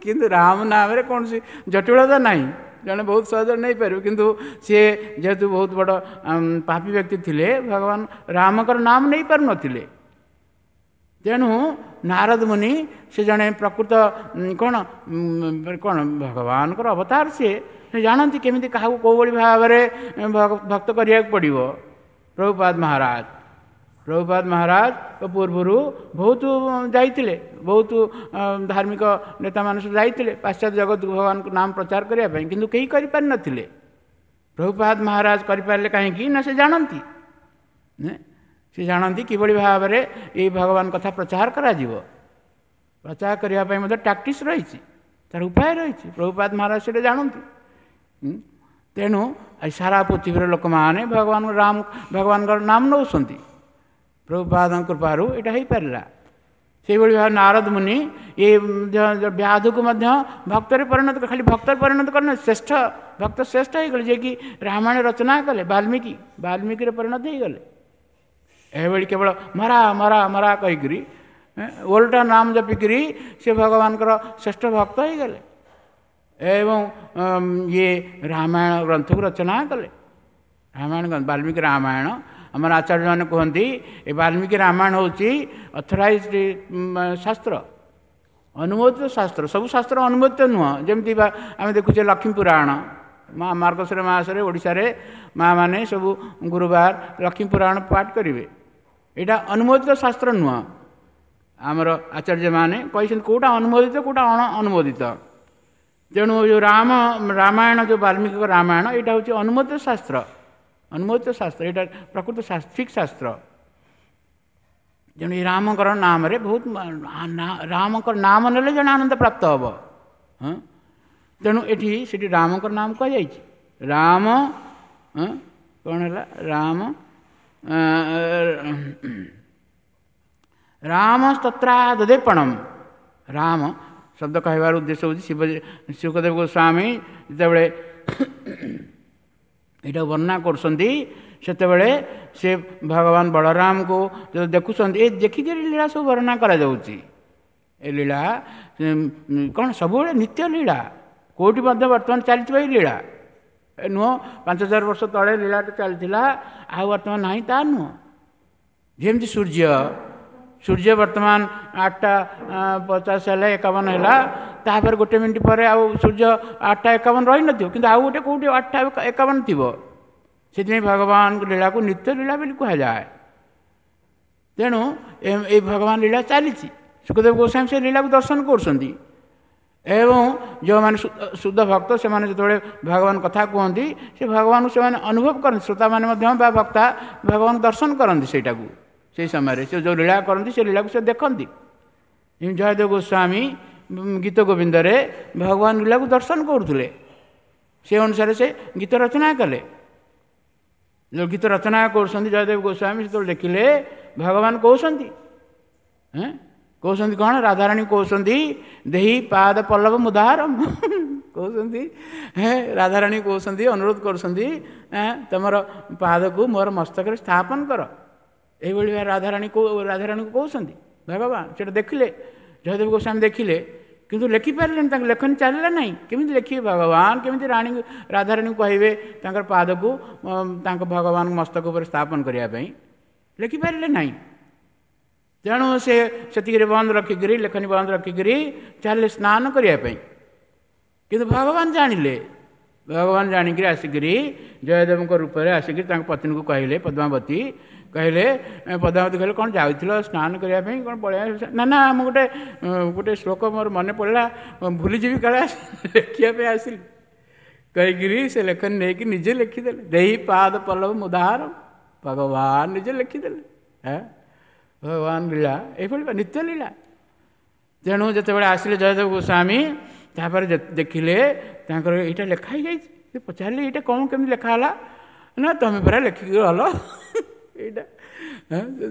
କିନ୍ତୁ ରାମ ନାମରେ କୌଣସି ଜଟିଳତା ନାହିଁ, ଜଣେ ବହୁତ ସହଜରେ ନେଇପାରିବ। କିନ୍ତୁ ସିଏ ଯେହେତୁ ବହୁତ ବଡ଼ ପାପୀ ବ୍ୟକ୍ତି ଥିଲେ, ଭଗବାନ ରାମଙ୍କର ନାମ ନେଇପାରୁନଥିଲେ। ତେଣୁ ନାରଦ ମୁନି ସେ ଜଣେ ପ୍ରକୃତ କ'ଣ କ'ଣ ଭଗବାନଙ୍କର ଅବତାର, ସିଏ ସେ ଜାଣନ୍ତି କେମିତି କାହାକୁ କେଉଁଭଳି ଭାବରେ ଭକ୍ତ କରିବାକୁ ପଡ଼ିବ। ପ୍ରଭୁପାଦ ମହାରାଜ ପ୍ରଭୁପାଦ ମହାରାଜ ପୂର୍ବରୁ ବହୁତ ଯାଇଥିଲେ, ବହୁତ ଧାର୍ମିକ ନେତାମାନେ ସବୁ ଯାଇଥିଲେ ପାଶ୍ଚାତ୍ୟ ଜଗତକୁ ଭଗବାନଙ୍କ ନାମ ପ୍ରଚାର କରିବା ପାଇଁ, କିନ୍ତୁ କେହି କରିପାରିନଥିଲେ। ପ୍ରଭୁପାଦ ମହାରାଜ କରିପାରିଲେ କାହିଁକି ନା ସେ ଜାଣନ୍ତି, ସେ ଜାଣନ୍ତି କିଭଳି ଭାବରେ ଏଇ ଭଗବାନ କଥା ପ୍ରଚାର କରାଯିବ। ପ୍ରଚାର କରିବା ପାଇଁ ମଧ୍ୟ ଟାକ୍ଟିସ୍ ରହିଛି, ତାର ଉପାୟ ରହିଛି। ପ୍ରଭୁପାଦ ମହାରାଜ ସେଇଟା ଜାଣନ୍ତି। ତେଣୁ ସାରା ପୃଥିବୀର ଲୋକମାନେ ଭଗବାନ ରାମ ଭଗବାନଙ୍କର ନାମ ନେଉଛନ୍ତି। ପ୍ରଭୁପାଦଙ୍କ କୃପାରୁ ଏଇଟା ହେଇପାରିଲା। ସେଇଭଳି ଭାବେ ନାରଦ ମୁନି ଏ ବ୍ୟାଧକୁ ମଧ୍ୟ ଭକ୍ତରେ ପରିଣତ, ଖାଲି ଭକ୍ତରେ ପରିଣତ କରିନ, ଶ୍ରେଷ୍ଠ ଭକ୍ତ ଶ୍ରେଷ୍ଠ ହେଇଗଲେ, ଯିଏକି ରାମାୟଣ ରଚନା କଲେ, ବାଲ୍ମୀକି ବାଲ୍ମୀକିରେ ପରିଣତ ହେଇଗଲେ। ଏଭଳି କେବଳ ମରା ମରା ମରା କହିକିରି ଓଲଟା ନାମ ଜପିକିରି ସେ ଭଗବାନଙ୍କର ଶ୍ରେଷ୍ଠ ଭକ୍ତ ହେଇଗଲେ ଏବଂ ଇଏ ରାମାୟଣ ଗ୍ରନ୍ଥକୁ ରଚନା କଲେ। ରାମାୟଣ ବାଲ୍ମୀକି ରାମାୟଣ ଆମର ଆଚାର୍ଯ୍ୟମାନେ କୁହନ୍ତି ଏ ବାଲ୍ମୀକି ରାମାୟଣ ହେଉଛି ଅଥରାଇଜ୍ଡ ଶାସ୍ତ୍ର, ଅନୁମୋଦିତ ଶାସ୍ତ୍ର। ସବୁ ଶାସ୍ତ୍ର ଅନୁମୋଦିତ ନୁହଁ। ଯେମିତି ଆମେ ଦେଖୁଛେ ଲକ୍ଷ୍ମୀ ପୁରାଣ, ମା ମାର୍ଗଶିର ମାସରେ ଓଡ଼ିଶାରେ ମା ମାନେ ସବୁ ଗୁରୁବାର ଲକ୍ଷ୍ମୀ ପୁରାଣ ପାଠ କରିବେ। ଏଇଟା ଅନୁମୋଦିତ ଶାସ୍ତ୍ର ନୁହଁ। ଆମର ଆଚାର୍ଯ୍ୟମାନେ କହିଛନ୍ତି କେଉଁଟା ଅନୁମୋଦିତ କେଉଁଟା ଅଣ ଅନୁମୋଦିତ। ତେଣୁ ଯେଉଁ ରାମ ରାମାୟଣ ଯେଉଁ ବାଲ୍ମୀକିଙ୍କ ରାମାୟଣ ଏଇଟା ହେଉଛି ଅନୁମୋଦିତ ଶାସ୍ତ୍ର, ଅନୁମୋଦିତ ଶାସ୍ତ୍ର, ଏଇଟା ପ୍ରକୃତ ଠିକ୍ ଶାସ୍ତ୍ର। ତେଣୁ ଏଇ ରାମଙ୍କର ନାମରେ ବହୁତ, ରାମଙ୍କର ନାମ ନେଲେ ଜଣେ ଆନନ୍ଦ ପ୍ରାପ୍ତ ହେବ। ହଁ, ତେଣୁ ଏଠି ସେଠି ରାମଙ୍କର ନାମ କୁହାଯାଇଛି। ରାମ କ'ଣ ହେଲା? ରାମ ରାମ ସ୍ତତ୍ରାଦଦେପଣମ। ରାମ ଶବ୍ଦ କହିବାର ଉଦ୍ଦେଶ୍ୟ ହେଉଛି ଶିବ ଶୁକଦେବ ଗୋସ୍ୱାମୀ ଯେତେବେଳେ ଏଇଟା ବର୍ଣ୍ଣନା କରୁଛନ୍ତି, ସେତେବେଳେ ସେ ଭଗବାନ ବଳରାମକୁ ଦେଖୁଛନ୍ତି, ଏ ଦେଖିକିରି ଲୀଳା ସବୁ ବର୍ଣ୍ଣନା କରାଯାଉଛି। ଏ ଲୀଳା କ'ଣ ସବୁବେଳେ ନିତ୍ୟ ଲୀଳା, କେଉଁଠି ମଧ୍ୟ ବର୍ତ୍ତମାନ ଚାଲିଥିବ ଏଇ ଲୀଳା ଏ ନୁହଁ। ପାଞ୍ଚ ହଜାର ବର୍ଷ ତଳେ ଲୀଳାଟା ଚାଲିଥିଲା, ଆଉ ବର୍ତ୍ତମାନ ନାହିଁ ତା ନୁହଁ। ଯେମିତି ସୂର୍ଯ୍ୟ ସୂର୍ଯ୍ୟ ବର୍ତ୍ତମାନ ଆଠଟା ପଚାଶ ହେଲା ଏକାବନ ହେଲା, ତାପରେ ଗୋଟେ ମିନିଟ୍ ପରେ ଆଉ ସୂର୍ଯ୍ୟ ଆଠଟା ଏକାବନ ରହିନଥିବ, କିନ୍ତୁ ଆଉ ଗୋଟେ କେଉଁଠି ଆଠଟା ଏକାବନ ଥିବ। ସେଥିପାଇଁ ଭଗବାନଙ୍କ ଲୀଳାକୁ ନିତ୍ୟ ଲୀଳା ବୋଲି କୁହାଯାଏ। ତେଣୁ ଏଇ ଭଗବାନ ଲୀଳା ଚାଲିଛି। ଶୁକଦେବ ଗୋସ୍ୱାମୀ ସେ ଲୀଳାକୁ ଦର୍ଶନ କରୁଛନ୍ତି ଏବଂ ଯେଉଁମାନେ ଶୁଦ୍ଧ ଭକ୍ତ ସେମାନେ ଯେତେବେଳେ ଭଗବାନ କଥା କୁହନ୍ତି ସେ ଭଗବାନଙ୍କୁ ସେମାନେ ଅନୁଭବ କରନ୍ତି। ଶ୍ରୋତାମାନେ ମଧ୍ୟ ବା ବକ୍ତା ଭଗବାନ ଦର୍ଶନ କରନ୍ତି ସେଇଟାକୁ। ସେଇ ସମୟରେ ସେ ଯେଉଁ ଲୀଳା କରନ୍ତି ସେ ଲୀଳାକୁ ସେ ଦେଖନ୍ତି। ଜୟଦେବ ଗୋସ୍ୱାମୀ ଗୀତ ଗୋବିନ୍ଦରେ ଭଗବାନ ଲୀଳାକୁ ଦର୍ଶନ କରୁଥିଲେ, ସେ ଅନୁସାରେ ସେ ଗୀତ ରଚନା କଲେ। ଯେଉଁ ଗୀତ ରଚନା କରୁଛନ୍ତି ଜୟଦେବ ଗୋସ୍ୱାମୀ, ସେତେବେଳେ ଦେଖିଲେ ଭଗବାନ କହୁଛନ୍ତି, ହେଁ କହୁଛନ୍ତି କ'ଣ? ରାଧାରାଣୀ କହୁଛନ୍ତି ଦେହି ପାଦ ପଲ୍ଲବ ମୁଦାହରମ କହୁଛନ୍ତି। ହେଁ ରାଧାରାଣୀ କହୁଛନ୍ତି, ଅନୁରୋଧ କରୁଛନ୍ତି, ତମର ପାଦକୁ ମୋର ମସ୍ତକରେ ସ୍ଥାପନ କର। ଏଇଭଳି ରାଧାରାଣୀ ରାଧାରାଣୀକୁ କହୁଛନ୍ତି ଭଗବାନ। ସେଇଟା ଦେଖିଲେ ଜୟଦେବ ଗୋସ୍ୱାମୀ ଦେଖିଲେ, କିନ୍ତୁ ଲେଖିପାରିଲେନି, ତାଙ୍କ ଲେଖନୀ ଚାଲିଲା ନାହିଁ। କେମିତି ଲେଖିବେ ଭଗବାନ? କେମିତି ରାଣୀ ରାଧାରାଣୀକୁ କହିବେ ତାଙ୍କର ପାଦକୁ ତାଙ୍କ ଭଗବାନଙ୍କ ମସ୍ତକ ଉପରେ ସ୍ଥାପନ କରିବା ପାଇଁ? ଲେଖିପାରିଲେ ନାହିଁ। ତେଣୁ ସେ ସେତିକିରେ ବନ୍ଦ ରଖିକରି, ଲେଖନୀ ବନ୍ଦ ରଖିକରି ଚାଲିଲେ ସ୍ନାନ କରିବା ପାଇଁ। କିନ୍ତୁ ଭଗବାନ ଜାଣିଲେ, ଭଗବାନ ଜାଣିକିରି ଆସିକିରି ଜୟଦେବଙ୍କ ରୂପରେ ଆସିକିରି ତାଙ୍କ ପତ୍ନୀକୁ କହିଲେ, ପଦ୍ମାବତୀ କହିଲେ, ପଦ୍ମାବତୀ କହିଲେ କ'ଣ ଯାଉଥିଲ ସ୍ନାନ କରିବା ପାଇଁ, କ'ଣ ପଳେଇ? ନା ନା, ମୁଁ ଗୋଟେ ଗୋଟେ ଶ୍ଲୋକ ମୋର ମନେ ପଡ଼ିଲା, ଭୁଲିଯିବି କାଳେ, ଲେଖିବା ପାଇଁ ଆସିଲି କହିକିରି ସେ ଲେଖନୀ ନେଇକି ନିଜେ ଲେଖିଦେଲେ। ଦେହି ପାଦ ପଲ୍ଲବ ମୁଦାହର, ଭଗବାନ ନିଜେ ଲେଖିଦେଲେ। ହେଁ ଭଗବାନ ଲୀଳା ଏଇଭଳି ନିତ୍ୟ ଲୀଳା। ତେଣୁ ଯେତେବେଳେ ଆସିଲେ ଜୟଦେବ ଗୋସ୍ୱାମୀ, ତାପରେ ଦେଖିଲେ ତାଙ୍କର ଏଇଟା ଲେଖା ହେଇଯାଇଛି। ସେ ପଚାରିଲେ ଏଇଟା କ'ଣ କେମିତି ଲେଖା ହେଲା? ନା ତମେ ପରା ଲେଖିକି ଗଲ ଏଇଟା।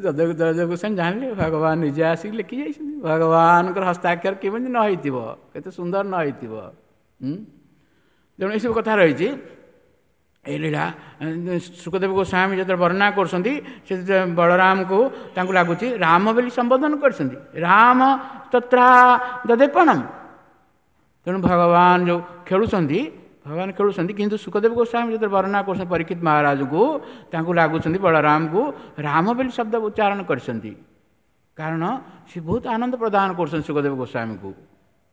ଜୟଦେବ ଜୟଦେବ ଗୋସ୍ୱାମୀ ଜାଣିଲେ ଭଗବାନ ନିଜେ ଆସିକି ଲେଖି ଯାଇଛନ୍ତି। ଭଗବାନଙ୍କର ହସ୍ତାକ୍ଷର କେମିତି ନ ହେଇଥିବ, କେତେ ସୁନ୍ଦର ନ ହେଇଥିବ। ତେଣୁ ଏସବୁ କଥା ରହିଛି ଏଇ ଲୀଳା। ଶୁକଦେବ ଗୋସ୍ୱାମୀ ଯେତେବେଳେ ବର୍ଣ୍ଣନା କରୁଛନ୍ତି, ସେ ବଳରାମକୁ ତାଙ୍କୁ ଲାଗୁଛି ରାମ ବୋଲି ସମ୍ବୋଧନ କରିଛନ୍ତି। ରାମ ତତ୍ରା ଦଦେପଣମ। ତେଣୁ ଭଗବାନ ଯେଉଁ ଖେଳୁଛନ୍ତି, ଭଗବାନ ଖେଳୁଛନ୍ତି, କିନ୍ତୁ ଶୁକଦେବ ଗୋସ୍ୱାମୀ ଯେତେବେଳେ ବର୍ଣ୍ଣନା କରୁଛନ୍ତି ପରୀକ୍ଷିତ ମହାରାଜଙ୍କୁ, ତାଙ୍କୁ ଲାଗୁଛନ୍ତି ବଳରାମକୁ ରାମ ବୋଲି ଶବ୍ଦ ଉଚ୍ଚାରଣ କରିଛନ୍ତି। କାରଣ ସେ ବହୁତ ଆନନ୍ଦ ପ୍ରଦାନ କରୁଛନ୍ତି ଶୁକଦେବ ଗୋସ୍ୱାମୀଙ୍କୁ।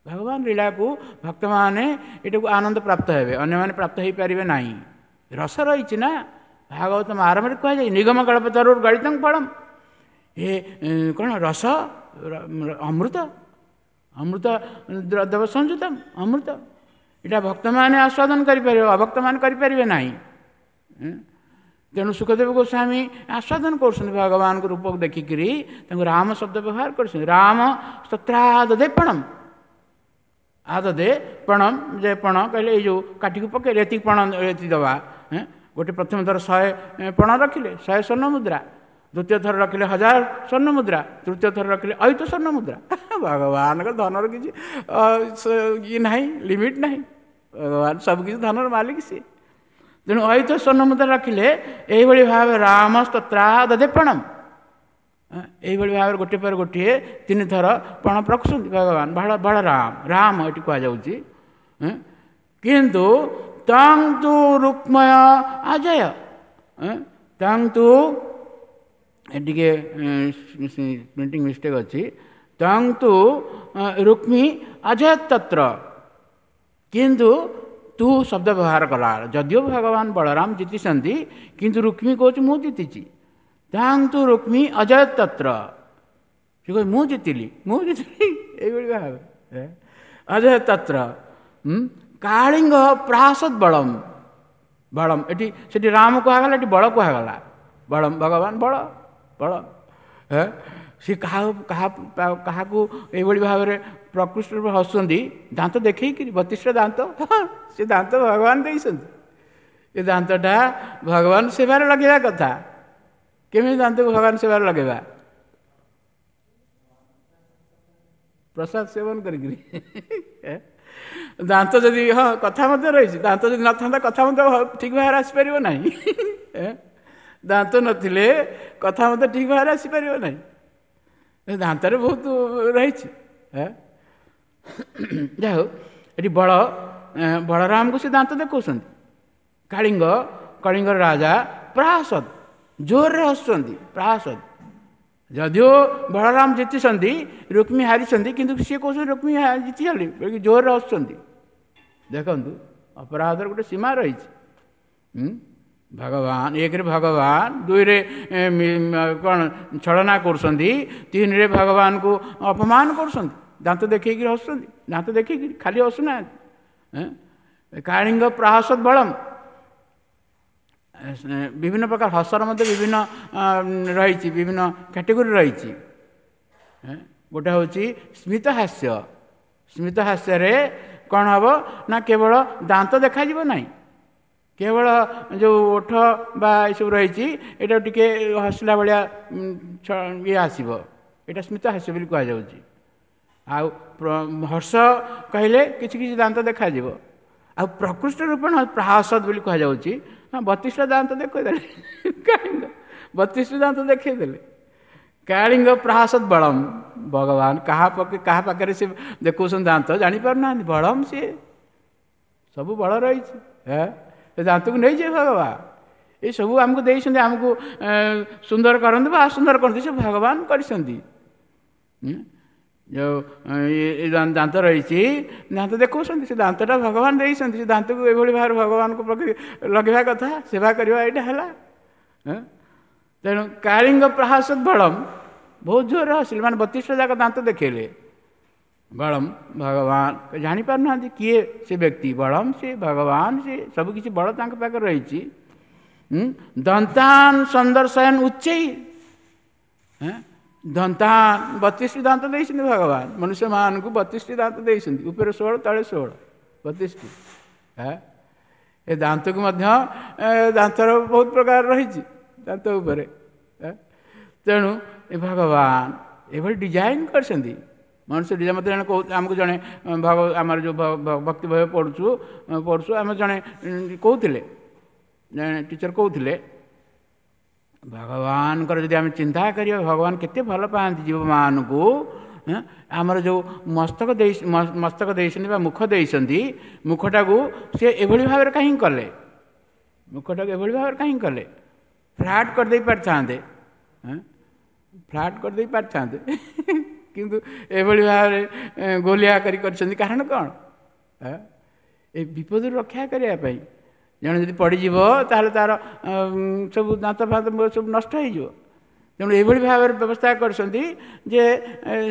ଭଗବାନ ଲୀଳାକୁ ଭକ୍ତମାନେ ଏଟାକୁ ଆନନ୍ଦ ପ୍ରାପ୍ତ ହେବେ, ଅନ୍ୟମାନେ ପ୍ରାପ୍ତ ହେଇପାରିବେ ନାହିଁ। ରସ ରହିଛି ନା, ଭାଗବତ ଆରମ୍ଭରେ କୁହାଯାଏ ନିଗମ କଳ୍ପତରୁର ଗଳିତଂ ଫଳମ୍। ଏ କ'ଣ ରସ? ଅମୃତ, ଅମୃତ ଦେବ ସଂଯୁତମ ଅମୃତ। ଏଇଟା ଭକ୍ତମାନେ ଆସ୍ୱାଦନ କରିପାରିବେ, ଅଭକ୍ତମାନେ କରିପାରିବେ ନାହିଁ। ତେଣୁ ଶୁକଦେବ ଗୋସ୍ୱାମୀ ଆସ୍ୱାଦନ କରୁଛନ୍ତି ଭଗବାନଙ୍କ ରୂପକୁ ଦେଖିକିରି, ତାଙ୍କୁ ରାମ ଶବ୍ଦ ବ୍ୟବହାର କରୁଛନ୍ତି। ରାମ ସ୍ତୋତ୍ରାଦଦେ ପଣମ୍, ଆଦଦେ ପଣମ୍, ଯେ ପଣ କହିଲେ ଏଇ ଯେଉଁ କାଠିକୁ ପକେଇଲେ ଏତିକି ପଣ ଏତିକି ଦେବା। ଗୋଟେ ପ୍ରଥମ ଥର ଶହେ ପଣ ରଖିଲେ, ଶହେ ସ୍ୱର୍ଣ୍ଣ ମୁଦ୍ରା। ଦ୍ୱିତୀୟ ଥର ରଖିଲେ ହଜାର ସ୍ୱର୍ଣ୍ଣ ମୁଦ୍ରା, ତୃତୀୟ ଥର ରଖିଲେ ଅୟୁତ ସ୍ୱର୍ଣ୍ଣ ମୁଦ୍ରା। ଭଗବାନଙ୍କ ଧନର କିଛି ଇଏ ନାହିଁ, ଲିମିଟ୍ ନାହିଁ। ଭଗବାନ ସବୁକିଛି ଧନର ମାଲିକ ସିଏ। ତେଣୁ ଅୟୁତ ସ୍ୱର୍ଣ୍ଣ ମୁଦ୍ରା ରଖିଲେ। ଏଇଭଳି ଭାବେ ରାମ ସ୍ତୋତ୍ରାଦଦେ ପଣମ୍, ଏଇଭଳି ଭାବରେ ଗୋଟିଏ ପରେ ଗୋଟିଏ ତିନି ଥର ପଣ ରଖୁଛନ୍ତି ଭଗବାନ ବଳରାମ, ରାମ ଏଠି କୁହାଯାଉଛି। କିନ୍ତୁ ତଂ ତୁ ରୁକ୍ମୟ ଅଜୟ, ତଂ ତୁ ଟିକେ ପ୍ରିଣ୍ଟିଂ ମିଷ୍ଟେକ୍ ଅଛି, ତଂ ତୁ ରୁକ୍ମୀ ଅଜୟ ତତ୍ର, କିନ୍ତୁ ତୁ ଶବ୍ଦ ବ୍ୟବହାର କଲା। ଯଦିଓ ଭଗବାନ ବଳରାମ ଜିତିଛନ୍ତି, କିନ୍ତୁ ରୁକ୍ମୀ କହୁଛି ମୁଁ ଜିତିଛି। ତାଂ ତୁ ରୁକ୍ମୀ ଅଜୟ ତତ୍ର, ସେ କହୁଛି ମୁଁ ଜିତିଲି, ମୁଁ ଜିତିଲି, ଏଇଭଳି ଭାବେ ଅଜୟ ତତ୍ର। କାଳିଙ୍ଗ ପ୍ରାସଦ ବଳମ, ବଳମ ଏଠି ସେଠି ରାମ କୁହାଗଲା, ଏଠି ବଳ କୁହାଗଲା। ବଳମ ଭଗବାନ ବଳ, ବଳ ସେ କାହା କାହା କାହାକୁ ଏଇଭଳି ଭାବରେ ପ୍ରକୃଷ୍ଟ ରୂପେ ହସୁଛନ୍ତି, ଦାନ୍ତ ଦେଖେଇକିରି, ବତିଶଟା ଦାନ୍ତ, ସେ ଦାନ୍ତ ଭଗବାନ ଦେଇଛନ୍ତି। ଏ ଦାନ୍ତଟା ଭଗବାନ ସେବାରେ ଲଗେଇବା କଥା। କେମିତି ଦାନ୍ତକୁ ଭଗବାନ ସେବାରେ ଲଗେଇବା? ପ୍ରସାଦ ସେବନ କରିକିରି। ଦାନ୍ତ ଯଦି, ହଁ କଥା ମଧ୍ୟ ରହିଛି, ଦାନ୍ତ ଯଦି ନଥାନ୍ତା କଥା ମଧ୍ୟ ଠିକ୍ ଭାବରେ ଆସିପାରିବ ନାହିଁ। ଦାନ୍ତ ନଥିଲେ କଥା ମଧ୍ୟ ଠିକ୍ ଭାବରେ ଆସିପାରିବ ନାହିଁ। ଦାନ୍ତରେ ବହୁତ ରହିଛି। ଯାହା ହଉ, ଏଠି ବଳ ବଳରାମକୁ ସେ ଦାନ୍ତ ଦେଖାଉଛନ୍ତି। କାଳିଙ୍ଗ, କଳିଙ୍ଗର ରାଜା ପ୍ରାସଦ ଜୋରରେ ହସୁଛନ୍ତି, ପ୍ରାସଦ ଯଦିଓ ବଳରାମ ଜିତିଛନ୍ତି, ରୁକ୍ମୀ ହାରିଛନ୍ତି, କିନ୍ତୁ ସିଏ କହୁଛନ୍ତି ରୁକ୍ମୀ ଜିତିଗଲି, ଜୋରରେ ହସୁଛନ୍ତି। ଦେଖନ୍ତୁ, ଅପରାଧର ଗୋଟେ ସୀମା ରହିଛି। ଭଗବାନ ଏକରେ ଭଗବାନ, ଦୁଇରେ କ'ଣ ଛଳନା କରୁଛନ୍ତି, ତିନିରେ ଭଗବାନଙ୍କୁ ଅପମାନ କରୁଛନ୍ତି, ଦାନ୍ତ ଦେଖେଇକିରି ହସୁଛନ୍ତି, ଦାନ୍ତ ଦେଖେଇକିରି ଖାଲି ହସୁନାହାନ୍ତି। କାଳିଙ୍ଗ ପ୍ରହସତ ବଳମ, ବିଭିନ୍ନ ପ୍ରକାର ହସର ମଧ୍ୟ ବିଭିନ୍ନ ରହିଛି, ବିଭିନ୍ନ କ୍ୟାଟେଗୋରୀ ରହିଛି। ଗୋଟେ ହେଉଛି ସ୍ମିତ ହାସ୍ୟ। ସ୍ମିତ ହାସ୍ୟରେ କ'ଣ ହେବ ନା କେବଳ ଦାନ୍ତ ଦେଖାଯିବ ନାହିଁ, କେବଳ ଯେଉଁ ଓଠ ବା ଏସବୁ ରହିଛି ଏଇଟା ଟିକେ ହସିଲା ଭଳିଆ ଇଏ ଆସିବ, ଏଇଟା ସ୍ମିତ ହାସ୍ୟ ବୋଲି କୁହାଯାଉଛି। ଆଉ ହର୍ଷ କହିଲେ କିଛି କିଛି ଦାନ୍ତ ଦେଖାଯିବ। ଆଉ ପ୍ରକୃଷ୍ଟ ରୂପଣ ପ୍ରହାସଦ ବୋଲି କୁହାଯାଉଛି। ହଁ, ବତିଶଟା ଦାନ୍ତ ଦେଖେଇଦେଲେ, କାଳିଙ୍ଗ ବତିଶଟି ଦାନ୍ତ ଦେଖେଇଦେଲେ। କାଳିଙ୍ଗ ପ୍ରହାସଦ ବଳମ, ଭଗବାନ କାହା ପକ୍ଷେ କାହା ପାଖରେ ସେ ଦେଖାଉଛନ୍ତି ଦାନ୍ତ ଜାଣିପାରୁନାହାନ୍ତି। ବଳମ ସିଏ ସବୁ ବଳ ରହିଛି, ସେ ଦାନ୍ତକୁ ନେଇଯିବେ ଭଗବାନ। ଏସବୁ ଆମକୁ ଦେଇଛନ୍ତି, ଆମକୁ ସୁନ୍ଦର କରନ୍ତୁ ବା ଅସୁନ୍ଦର କରନ୍ତୁ, ସେ ଭଗବାନ କରିଛନ୍ତି। ଯେଉଁ ଦାନ୍ତ ରହିଛି, ଦାନ୍ତ ଦେଖାଉଛନ୍ତି, ସେ ଦାନ୍ତଟା ଭଗବାନ ଦେଇଛନ୍ତି। ସେ ଦାନ୍ତକୁ ଏଭଳି ଭାବରେ ଭଗବାନଙ୍କ ପାଖରେ ଲଗେଇବା କଥା, ସେବା କରିବା, ଏଇଟା ହେଲା। ତେଣୁ କାଳିଙ୍ଗ ପ୍ରହାସଦ ବଳମ, ବହୁତ ଜୋରରେ ହସିଲେ, ମାନେ ବତିଶଟା ଯାକ ଦାନ୍ତ ଦେଖେଇଲେ। ବଳମ ଭଗବାନ ଜାଣିପାରୁନାହାନ୍ତି କିଏ ସେ ବ୍ୟକ୍ତି, ବଳମ ସେ ଭଗବାନ, ସେ ସବୁକିଛି ବଳ ତାଙ୍କ ପାଖରେ ରହିଛି। ଦନ୍ତାନ ସନ୍ଦର୍ଶୟନ ଉଚ୍ଚେଇ, ଦନ୍ତାନ ବତିଶଟି ଦାନ୍ତ ଦେଇଛନ୍ତି ଭଗବାନ ମନୁଷ୍ୟମାନଙ୍କୁ, ବତିଶଟି ଦାନ୍ତ ଦେଇଛନ୍ତି, ଉପରେ ଷୋହଳ ତଳେ ଷୋହଳ, ବତିଶଟି। ଏ ଦାନ୍ତକୁ ମଧ୍ୟ ଦାନ୍ତର ବହୁତ ପ୍ରକାର ରହିଛି ଦାନ୍ତ ଉପରେ। ତେଣୁ ଏ ଭଗବାନ ଏଭଳି ଡିଜାଇନ୍ କରିଛନ୍ତି ମନୁଷ୍ୟ ଡିଜାଇନ୍। ମୋତେ ଜଣେ କହୁ, ଆମକୁ ଜଣେ ଭଗ ଆମର ଯେଉଁ ଭକ୍ତି ଭୟ ପଢ଼ୁଛୁ ପଢ଼ୁଛୁ ଆମେ ଜଣେ କହୁଥିଲେ, ଜଣେ ଟିଚର କହୁଥିଲେ, ଭଗବାନଙ୍କର ଯଦି ଆମେ ଚିନ୍ତା କରିବା, ଭଗବାନ କେତେ ଭଲ ପାଆନ୍ତି ଜୀବମାନଙ୍କୁ। ଆମର ଯେଉଁ ମସ୍ତକ ଦେଇ ମସ୍ତକ ଦେଇଛନ୍ତି ବା ମୁଖ ଦେଇଛନ୍ତି, ମୁଖଟାକୁ ସେ ଏଭଳି ଭାବରେ କାହିଁକି କଲେ? ମୁଖଟାକୁ ଏଭଳି ଭାବରେ କାହିଁକି କଲେ? ଫ୍ଲାଟ୍ କରିଦେଇ ପାରିଥାନ୍ତେ, ଫ୍ଲାଟ୍ କରିଦେଇ ପାରିଥାନ୍ତେ, କିନ୍ତୁ ଏଭଳି ଭାବରେ ଗୋଲିଆ କରି କରିଛନ୍ତି। କାରଣ କ'ଣ? ଏ ବିପଦରୁ ରକ୍ଷା କରିବା ପାଇଁ। ଜଣେ ଯଦି ପଡ଼ିଯିବ ତାହେଲେ ତାର ସବୁ ଦାନ୍ତ ଫାନ୍ତ ସବୁ ନଷ୍ଟ ହେଇଯିବ। ତେଣୁ ଏଇଭଳି ଭାବରେ ବ୍ୟବସ୍ଥା କରିଛନ୍ତି ଯେ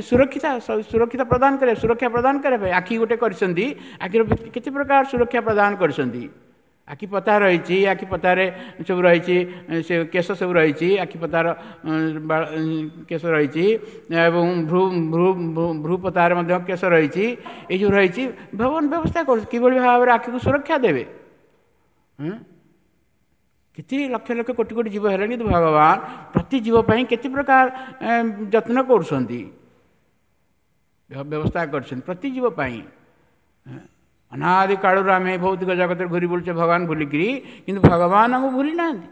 ସୁରକ୍ଷିତ ସୁରକ୍ଷିତ ପ୍ରଦାନ କରିବା, ସୁରକ୍ଷା ପ୍ରଦାନ କରିବା ପାଇଁ ଆଖି ଗୋଟେ କରିଛନ୍ତି। ଆଖିର କେତେ ପ୍ରକାର ସୁରକ୍ଷା ପ୍ରଦାନ କରିଛନ୍ତି। ଆଖି ପତା ରହିଛି, ଆଖି ପତାରେ ସବୁ ରହିଛି, ସେ କେଶ ସବୁ ରହିଛି, ଆଖି ପତାର କେଶ ରହିଛି, ଏବଂ ଭ୍ରୁ ଭ୍ରୁ ଭ୍ରୁ ପତାରେ ମଧ୍ୟ କେଶ ରହିଛି। ଏଇ ଯେଉଁ ରହିଛି ଭଗବାନ ବ୍ୟବସ୍ଥା କରୁଛି କିଭଳି ଭାବରେ ଆଖିକୁ ସୁରକ୍ଷା ଦେବେ। କେତେ ଲକ୍ଷ ଲକ୍ଷ କୋଟି କୋଟି ଜୀବ ହେଲେଣି, କିନ୍ତୁ ଭଗବାନ ପ୍ରତି ଜୀବ ପାଇଁ କେତେ ପ୍ରକାର ଯତ୍ନ କରୁଛନ୍ତି, ବ୍ୟବସ୍ଥା କରିଛନ୍ତି ପ୍ରତି ଜୀବ ପାଇଁ। ଅନାଦି କାଳରୁ ଆମେ ଭୌତିକ ଜଗତରେ ଘୁରି ବୁଲୁଛେ ଭଗବାନ ଭୁଲିକିରି, କିନ୍ତୁ ଭଗବାନ ଆମକୁ ଭୁଲି ନାହାନ୍ତି।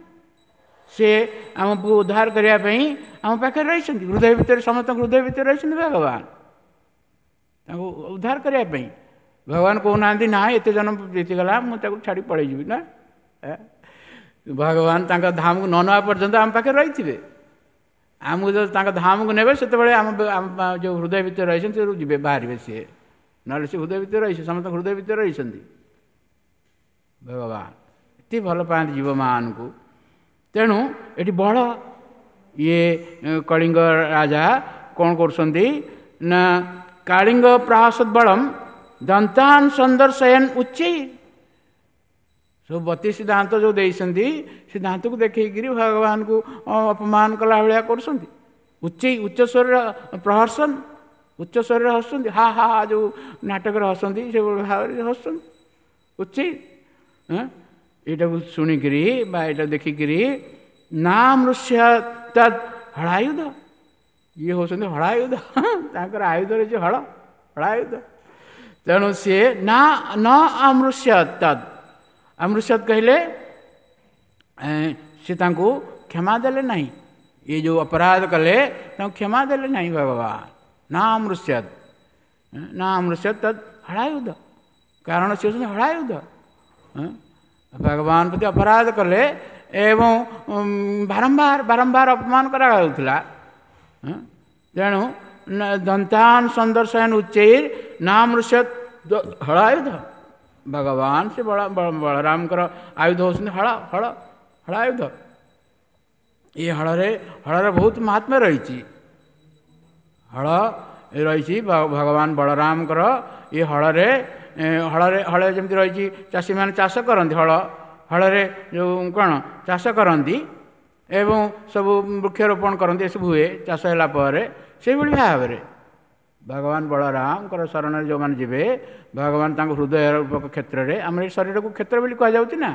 ସେ ଆମକୁ ଉଦ୍ଧାର କରିବା ପାଇଁ ଆମ ପାଖରେ ରହିଛନ୍ତି, ହୃଦୟ ଭିତରେ, ସମସ୍ତଙ୍କ ହୃଦୟ ଭିତରେ ରହିଛନ୍ତି ଭଗବାନ, ତାଙ୍କୁ ଉଦ୍ଧାର କରିବା ପାଇଁ। ଭଗବାନ କହୁନାହାନ୍ତି ନା ଏତେ ଜଣ ଜିତିଗଲା ମୁଁ ତାକୁ ଛାଡ଼ି ପଳେଇଯିବି, ନା। ଭଗବାନ ତାଙ୍କ ଧାମକୁ ନ ନେବା ପର୍ଯ୍ୟନ୍ତ ଆମ ପାଖରେ ରହିଥିବେ। ଆମକୁ ଯଦି ତାଙ୍କ ଧାମକୁ ନେବେ ସେତେବେଳେ ଆମ ଯେଉଁ ହୃଦୟ ଭିତରେ ରହିଛନ୍ତି ସେ ଯିବେ, ବାହାରିବେ ସିଏ, ନହେଲେ ସେ ହୃଦୟ ଭିତରେ ରହିছে, ସମସ୍ତଙ୍କ ହୃଦୟ ଭିତରେ ରହିଛନ୍ତି ଭଗବାନ। ଏତେ ଭଲ ପାଆନ୍ତି ଜୀବମାନଙ୍କୁ। ତେଣୁ ଏଠି ବଳ ଇଏ କଳିଙ୍ଗ ରାଜା କ'ଣ କରୁଛନ୍ତି ନା କାଳିଙ୍ଗ ପ୍ରହାସଦ ବଳମ ଦନ୍ତାନ ସନ୍ଦର୍ଶୟନ ଉଚ୍ଚେଇ, ସବୁ ବତିଶ ଦାନ୍ତ ଯେଉଁ ଦେଇଛନ୍ତି ସେ ଦାନ୍ତକୁ ଦେଖେଇକିରି ଭଗବାନଙ୍କୁ ଅପମାନ କଲା ଭଳିଆ କରୁଛନ୍ତି। ଉଚ୍ଚେଇ, ଉଚ୍ଚ ସ୍ୱରରେ ପ୍ରହର୍ସନ, ଉଚ୍ଚ ସ୍ୱରରେ ହସୁଛନ୍ତି, ହା ହା ହା ଯେଉଁ ନାଟକରେ ହସନ୍ତି ସେଭଳି ଭାବରେ ହସୁଛନ୍ତି ଉଚ୍ଚେଇ। ଏଇଟାକୁ ଶୁଣିକିରି ବା ଏଇଟା ଦେଖିକିରି ନା ମୃଷ୍ୟ ତଦ୍ ହଳାୟୁଧ, ଇଏ ହେଉଛନ୍ତି ହଳାୟୁଧ, ତାଙ୍କର ଆୟୁଧ ରହିଛି ହଳ, ହଳାୟୁଧ। ତେଣୁ ସିଏ ନା ନ ଅମୃଷ୍ୟ ତଦ୍, ଅମୃଷ୍ୟତ କହିଲେ ସେ ତାଙ୍କୁ କ୍ଷମା ଦେଲେ ନାହିଁ, ଇଏ ଯେଉଁ ଅପରାଧ କଲେ ତାଙ୍କୁ କ୍ଷମା ଦେଲେ ନାହିଁ ଭଗବାନ। ନା ଅମୃଷ୍ୟତ, ନା ଅମୃଷ୍ୟତ ତଦ୍ ହଳାୟୁଧ, କାରଣ ସେ ହେଉଛନ୍ତି ହଳାୟୁଧ। ଭଗବାନ ପ୍ରତି ଅପରାଧ କଲେ ଏବଂ ବାରମ୍ବାର ବାରମ୍ବାର ଅପମାନ କରାଯାଉଥିଲା, ତେଣୁ ଦନ୍ତାନ ସନ୍ଦର୍ଶନ ଉଚ୍ଚୈର ନାମୃଷ୍ୟ ହଳାୟୁଧ। ଭଗବାନ ସେ ବଳ ବଳରାମଙ୍କର ଆୟୁଧ ହେଉଛନ୍ତି ହଳ, ହଳ, ହଳାୟୁଧ। ଏ ହଳରେ ହଳର ବହୁତ ମହାତ୍ମ୍ୟ ରହିଛି। ହଳ ରହିଛି ଭଗବାନ ବଳରାମଙ୍କର। ଏ ହଳରେ ହଳରେ ହଳରେ ଯେମିତି ରହିଛି, ଚାଷୀମାନେ ଚାଷ କରନ୍ତି ହଳ, ହଳରେ ଯେଉଁ କ'ଣ ଚାଷ କରନ୍ତି ଏବଂ ସବୁ ବୃକ୍ଷରୋପଣ କରନ୍ତି, ଏସବୁ ହୁଏ ଚାଷ ହେଲା ପରେ। ସେଇଭଳି ଭାବରେ ଭଗବାନ ବଳରାମଙ୍କର ଶରଣରେ ଯେଉଁମାନେ ଯିବେ, ଭଗବାନ ତାଙ୍କ ହୃଦୟ ରୂପକ କ୍ଷେତ୍ରରେ, ଆମର ଏ ଶରୀରକୁ କ୍ଷେତ୍ର ବୋଲି କୁହାଯାଉଛି ନା,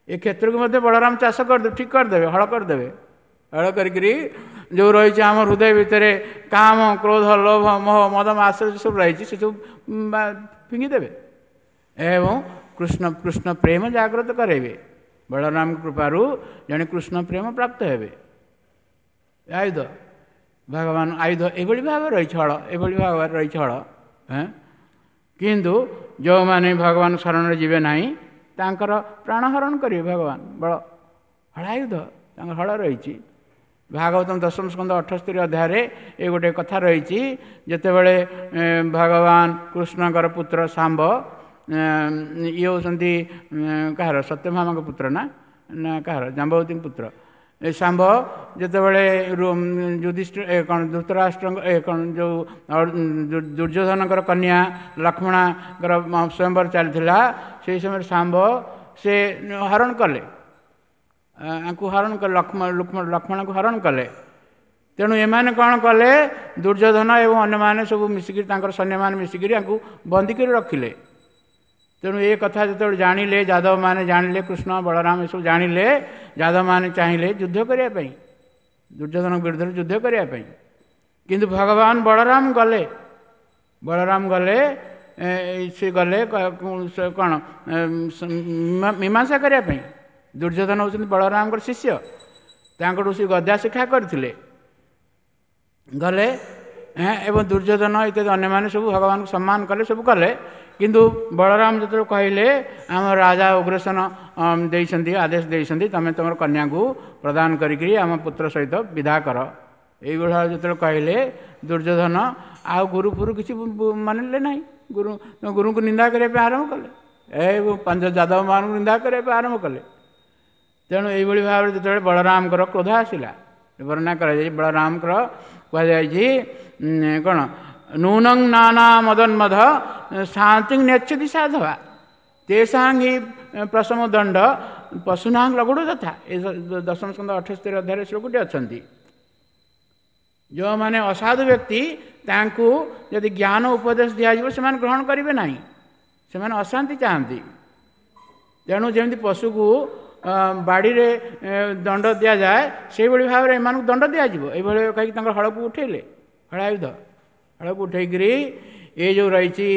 ଏ କ୍ଷେତ୍ରକୁ ମଧ୍ୟ ବଳରାମ ଚାଷ କରିଦେବେ, ଠିକ୍ କରିଦେବେ, ହଳ କରିଦେବେ। ହଳ କରିକିରି ଯେଉଁ ରହିଛି ଆମ ହୃଦୟ ଭିତରେ କାମ, କ୍ରୋଧ, ଲୋଭ, ମୋହ, ମଦ, ମାତ୍ସର୍ଯ୍ୟ ସବୁ ରହିଛି, ସେସବୁ ଫିଙ୍ଗିଦେବେ ଏବଂ କୃଷ୍ଣ କୃଷ୍ଣ ପ୍ରେମ ଜାଗ୍ରତ କରାଇବେ। ବଳରାମ କୃପାରୁ ଜଣେ କୃଷ୍ଣ ପ୍ରେମ ପ୍ରାପ୍ତ ହେବେ। ଆୟୁଧ ଭଗବାନ ଆୟୁଧ ଏଭଳି ଭାବରେ ରହିଛି, ହଳ ଏଭଳି ଭାବରେ ରହିଛି ହଳ। କିନ୍ତୁ ଯେଉଁମାନେ ଭଗବାନ ଶରଣରେ ଯିବେ ନାହିଁ, ତାଙ୍କର ପ୍ରାଣ ହରଣ କରିବେ ଭଗବାନ। ବଳ ହଳାୟୁଧ ତାଙ୍କର ହଳ ରହିଛି। ଭାଗବତମ ଦଶମ ସ୍କନ୍ଧ ଅଠସ୍ତରୀ ଅଧ୍ୟାୟରେ ଏ ଗୋଟେ କଥା ରହିଛି। ଯେତେବେଳେ ଭଗବାନ କୃଷ୍ଣଙ୍କର ପୁତ୍ର ଶାମ୍ବ, ଇଏ ହେଉଛନ୍ତି କାହାର? ସତ୍ୟଭାମାଙ୍କ ପୁତ୍ର ନା ନା କାହାର? ଜାମ୍ବବତୀଙ୍କ ପୁତ୍ର ଏ ଶାମ୍ବ। ଯେତେବେଳେ ଯୁଧିଷ୍ଠିର କ'ଣ ଧୃତରାଷ୍ଟ୍ରଙ୍କ ଏ କ'ଣ ଯେଉଁ ଦୁର୍ଯ୍ୟୋଧନଙ୍କର କନ୍ୟା ଲକ୍ଷ୍ମଣାଙ୍କର ସ୍ୱୟଂବର ଚାଲିଥିଲା, ସେହି ସମୟରେ ଶାମ୍ବ ସେ ହରଣ କଲେ, ଆଙ୍କୁ ହରଣ କଲେ, ଲକ୍ଷ୍ମଣ ଲକ୍ଷ୍ମଣଙ୍କୁ ହରଣ କଲେ। ତେଣୁ ଏମାନେ କ'ଣ କଲେ? ଦୁର୍ଯ୍ୟୋଧନ ଏବଂ ଅନ୍ୟମାନେ ସବୁ ମିଶିକିରି, ତାଙ୍କର ସୈନ୍ୟମାନେ ମିଶିକିରି ଆଙ୍କୁ ବନ୍ଦୀ କରି ରଖିଲେ। ତେଣୁ ଏ କଥା ଯେତେବେଳେ ଜାଣିଲେ ଯାଦବମାନେ, ଜାଣିଲେ କୃଷ୍ଣ ବଳରାମ ଏସବୁ ଜାଣିଲେ, ଯାଦବମାନେ ଚାହିଁଲେ ଯୁଦ୍ଧ କରିବା ପାଇଁ, ଦୁର୍ଯ୍ୟୋଧନଙ୍କ ବିରୁଦ୍ଧରେ ଯୁଦ୍ଧ କରିବା ପାଇଁ। କିନ୍ତୁ ଭଗବାନ ବଳରାମ ଗଲେ, ବଳରାମ ଗଲେ, ସେ ଗଲେ କ'ଣ ମୀମାଂସା କରିବା ପାଇଁ। ଦୁର୍ଯ୍ୟୋଧନ ହେଉଛନ୍ତି ବଳରାମଙ୍କର ଶିଷ୍ୟ, ତାଙ୍କଠୁ ସେ ଗଦା ଶିକ୍ଷା କରିଥିଲେ। ଗଲେ ଏବଂ ଦୁର୍ଯ୍ୟୋଧନ ଇତ୍ୟାଦି ଅନ୍ୟମାନେ ସବୁ ଭଗବାନଙ୍କୁ ସମ୍ମାନ କଲେ, ସବୁ କଲେ। କିନ୍ତୁ ବଳରାମ ଯେତେବେଳେ କହିଲେ, ଆମ ରାଜା ଉଗ୍ରସେନ ଦେଇଛନ୍ତି, ଆଦେଶ ଦେଇଛନ୍ତି, ତୁମେ ତୁମର କନ୍ୟାକୁ ପ୍ରଦାନ କରିକିରି ଆମ ପୁତ୍ର ସହିତ ବିଦା କର, ଏଇଭଳି ଯେତେବେଳେ କହିଲେ, ଦୁର୍ଯ୍ୟୋଧନ ଆଉ ଗୁରୁ ଫୁରୁ କିଛି ମାନିଲେ ନାହିଁ। ଗୁରୁ ଗୁରୁଙ୍କୁ ନିନ୍ଦା କରିବା ପାଇଁ ଆରମ୍ଭ କଲେ, ଏ ପାଞ୍ଚ ଯାଦବମାନଙ୍କୁ ନିନ୍ଦା କରିବା ପାଇଁ ଆରମ୍ଭ କଲେ। ତେଣୁ ଏଇଭଳି ଭାବରେ ଯେତେବେଳେ ବଳରାମଙ୍କର କ୍ରୋଧ ଆସିଲା, ବର୍ଣ୍ଣନା କରାଯାଇଛି, ବଳରାମଙ୍କର କୁହାଯାଇଛି କ'ଣ, ନୂନଂ ନାନା ମଦନ୍ମଧ ଶାନ୍ତି ନେଚ୍ଛତି ସାଧବା ତେସାଂ ହି ପ୍ରଶମ ଦଣ୍ଡ ପଶୁନାଂ ଲଗୁଡ଼ ତଥା। ଏ ଦଶମ ସ୍କନ୍ଧ ଅଠସ୍ତରୀ ଅଧ୍ୟାୟରେ ଶ୍ଲୋକଟି ଅଛନ୍ତି। ଯେଉଁମାନେ ଅସାଧୁ ବ୍ୟକ୍ତି, ତାଙ୍କୁ ଯଦି ଜ୍ଞାନ ଉପଦେଶ ଦିଆଯିବ ସେମାନେ ଗ୍ରହଣ କରିବେ ନାହିଁ, ସେମାନେ ଅଶାନ୍ତି ଚାହାନ୍ତି। ତେଣୁ ଯେମିତି ପଶୁକୁ ବାଡ଼ିରେ ଦଣ୍ଡ ଦିଆଯାଏ, ସେଇଭଳି ଭାବରେ ଏମାନଙ୍କୁ ଦଣ୍ଡ ଦିଆଯିବ, ଏଇଭଳି କହିକି ତାଙ୍କର ହଳକୁ ଉଠେଇଲେ, ହଳାୟୁଧ ହଳକୁ ଉଠେଇକିରି ଏ ଯେଉଁ ରହିଛି,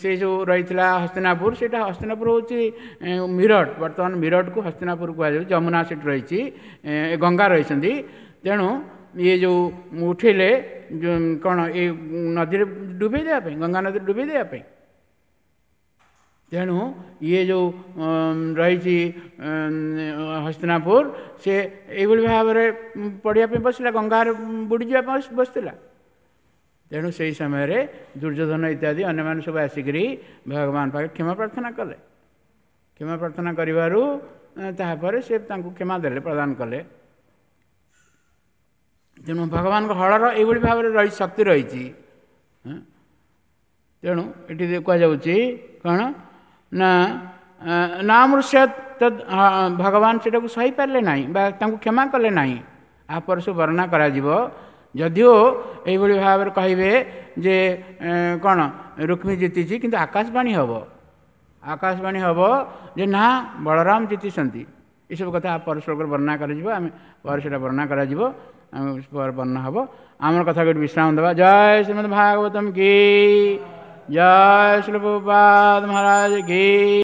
ସେ ଯେଉଁ ରହିଥିଲା ହସ୍ତିନାପୁର, ସେଇଟା ହସ୍ତିନାପୁର ହେଉଛି ମିରଟ, ବର୍ତ୍ତମାନ ମିରଟକୁ ହସ୍ତିନାପୁର କୁହାଯାଉଛି। ଯମୁନା ସେଠି ରହିଛି, ଗଙ୍ଗା ରହିଛନ୍ତି। ତେଣୁ ଇଏ ଯେଉଁ ଉଠେଇଲେ କ'ଣ ଏ ନଦୀରେ ଡୁବେଇ ଦେବା ପାଇଁ, ଗଙ୍ଗା ନଦୀରେ ଡୁବେଇ ଦେବା ପାଇଁ। ତେଣୁ ଇଏ ଯେଉଁ ରହିଛି ହସ୍ତିନାପୁର, ସେ ଏଇଭଳି ଭାବରେ ପଡ଼ିବା ପାଇଁ ବସିଲା, ଗଙ୍ଗାରେ ବୁଡ଼ିଯିବା ପାଇଁ ବସିଥିଲା। ତେଣୁ ସେହି ସମୟରେ ଦୁର୍ଯ୍ୟୋଧନ ଇତ୍ୟାଦି ଅନ୍ୟମାନେ ସବୁ ଆସିକରି ଭଗବାନ ପାଖରେ କ୍ଷମା ପ୍ରାର୍ଥନା କଲେ। କ୍ଷମା ପ୍ରାର୍ଥନା କରିବାରୁ ତାହାପରେ ସେ ତାଙ୍କୁ କ୍ଷମା ଦେଲେ, ପ୍ରଦାନ କଲେ। ତେଣୁ ଭଗବାନଙ୍କ ହଳର ଏଇଭଳି ଭାବରେ ରହି ଶକ୍ତି ରହିଛି। ତେଣୁ ଏଠି କୁହାଯାଉଛି କ'ଣ ନା, ନାମୃଷ୍ୟ ଭଗବାନ ସେଟାକୁ ସହିପାରିଲେ ନାହିଁ ବା ତାଙ୍କୁ କ୍ଷମା କଲେ ନାହିଁ। ଆପରେ ସବୁ ବର୍ଣ୍ଣନା କରାଯିବ। ଯଦିଓ ଏଇଭଳି ଭାବରେ କହିବେ ଯେ କ'ଣ ରୁକ୍ମୀ ଜିତିଛି, କିନ୍ତୁ ଆକାଶବାଣୀ ହେବ, ଆକାଶବାଣୀ ହେବ ଯେ ନା ବଳରାମ ଜିତିଛନ୍ତି। ଏସବୁ କଥା ପର ଶ୍ଲୋକରେ ବର୍ଣ୍ଣନା କରାଯିବ, ଆମେ ପରେ ସେଇଟା ବର୍ଣ୍ଣନା କରାଯିବ, ଆମେ ପରେ ବର୍ଣ୍ଣନା ହେବ। ଆମର କଥା ଗୋଟେ ବିଶ୍ରାମ ଦେବା। ଜୟ ଶ୍ରୀମଦ୍ ଭାଗବତମ କି ଜୟ, ଶ୍ରୀ ପ୍ରଭୁପାଦ ମହାରାଜ କି।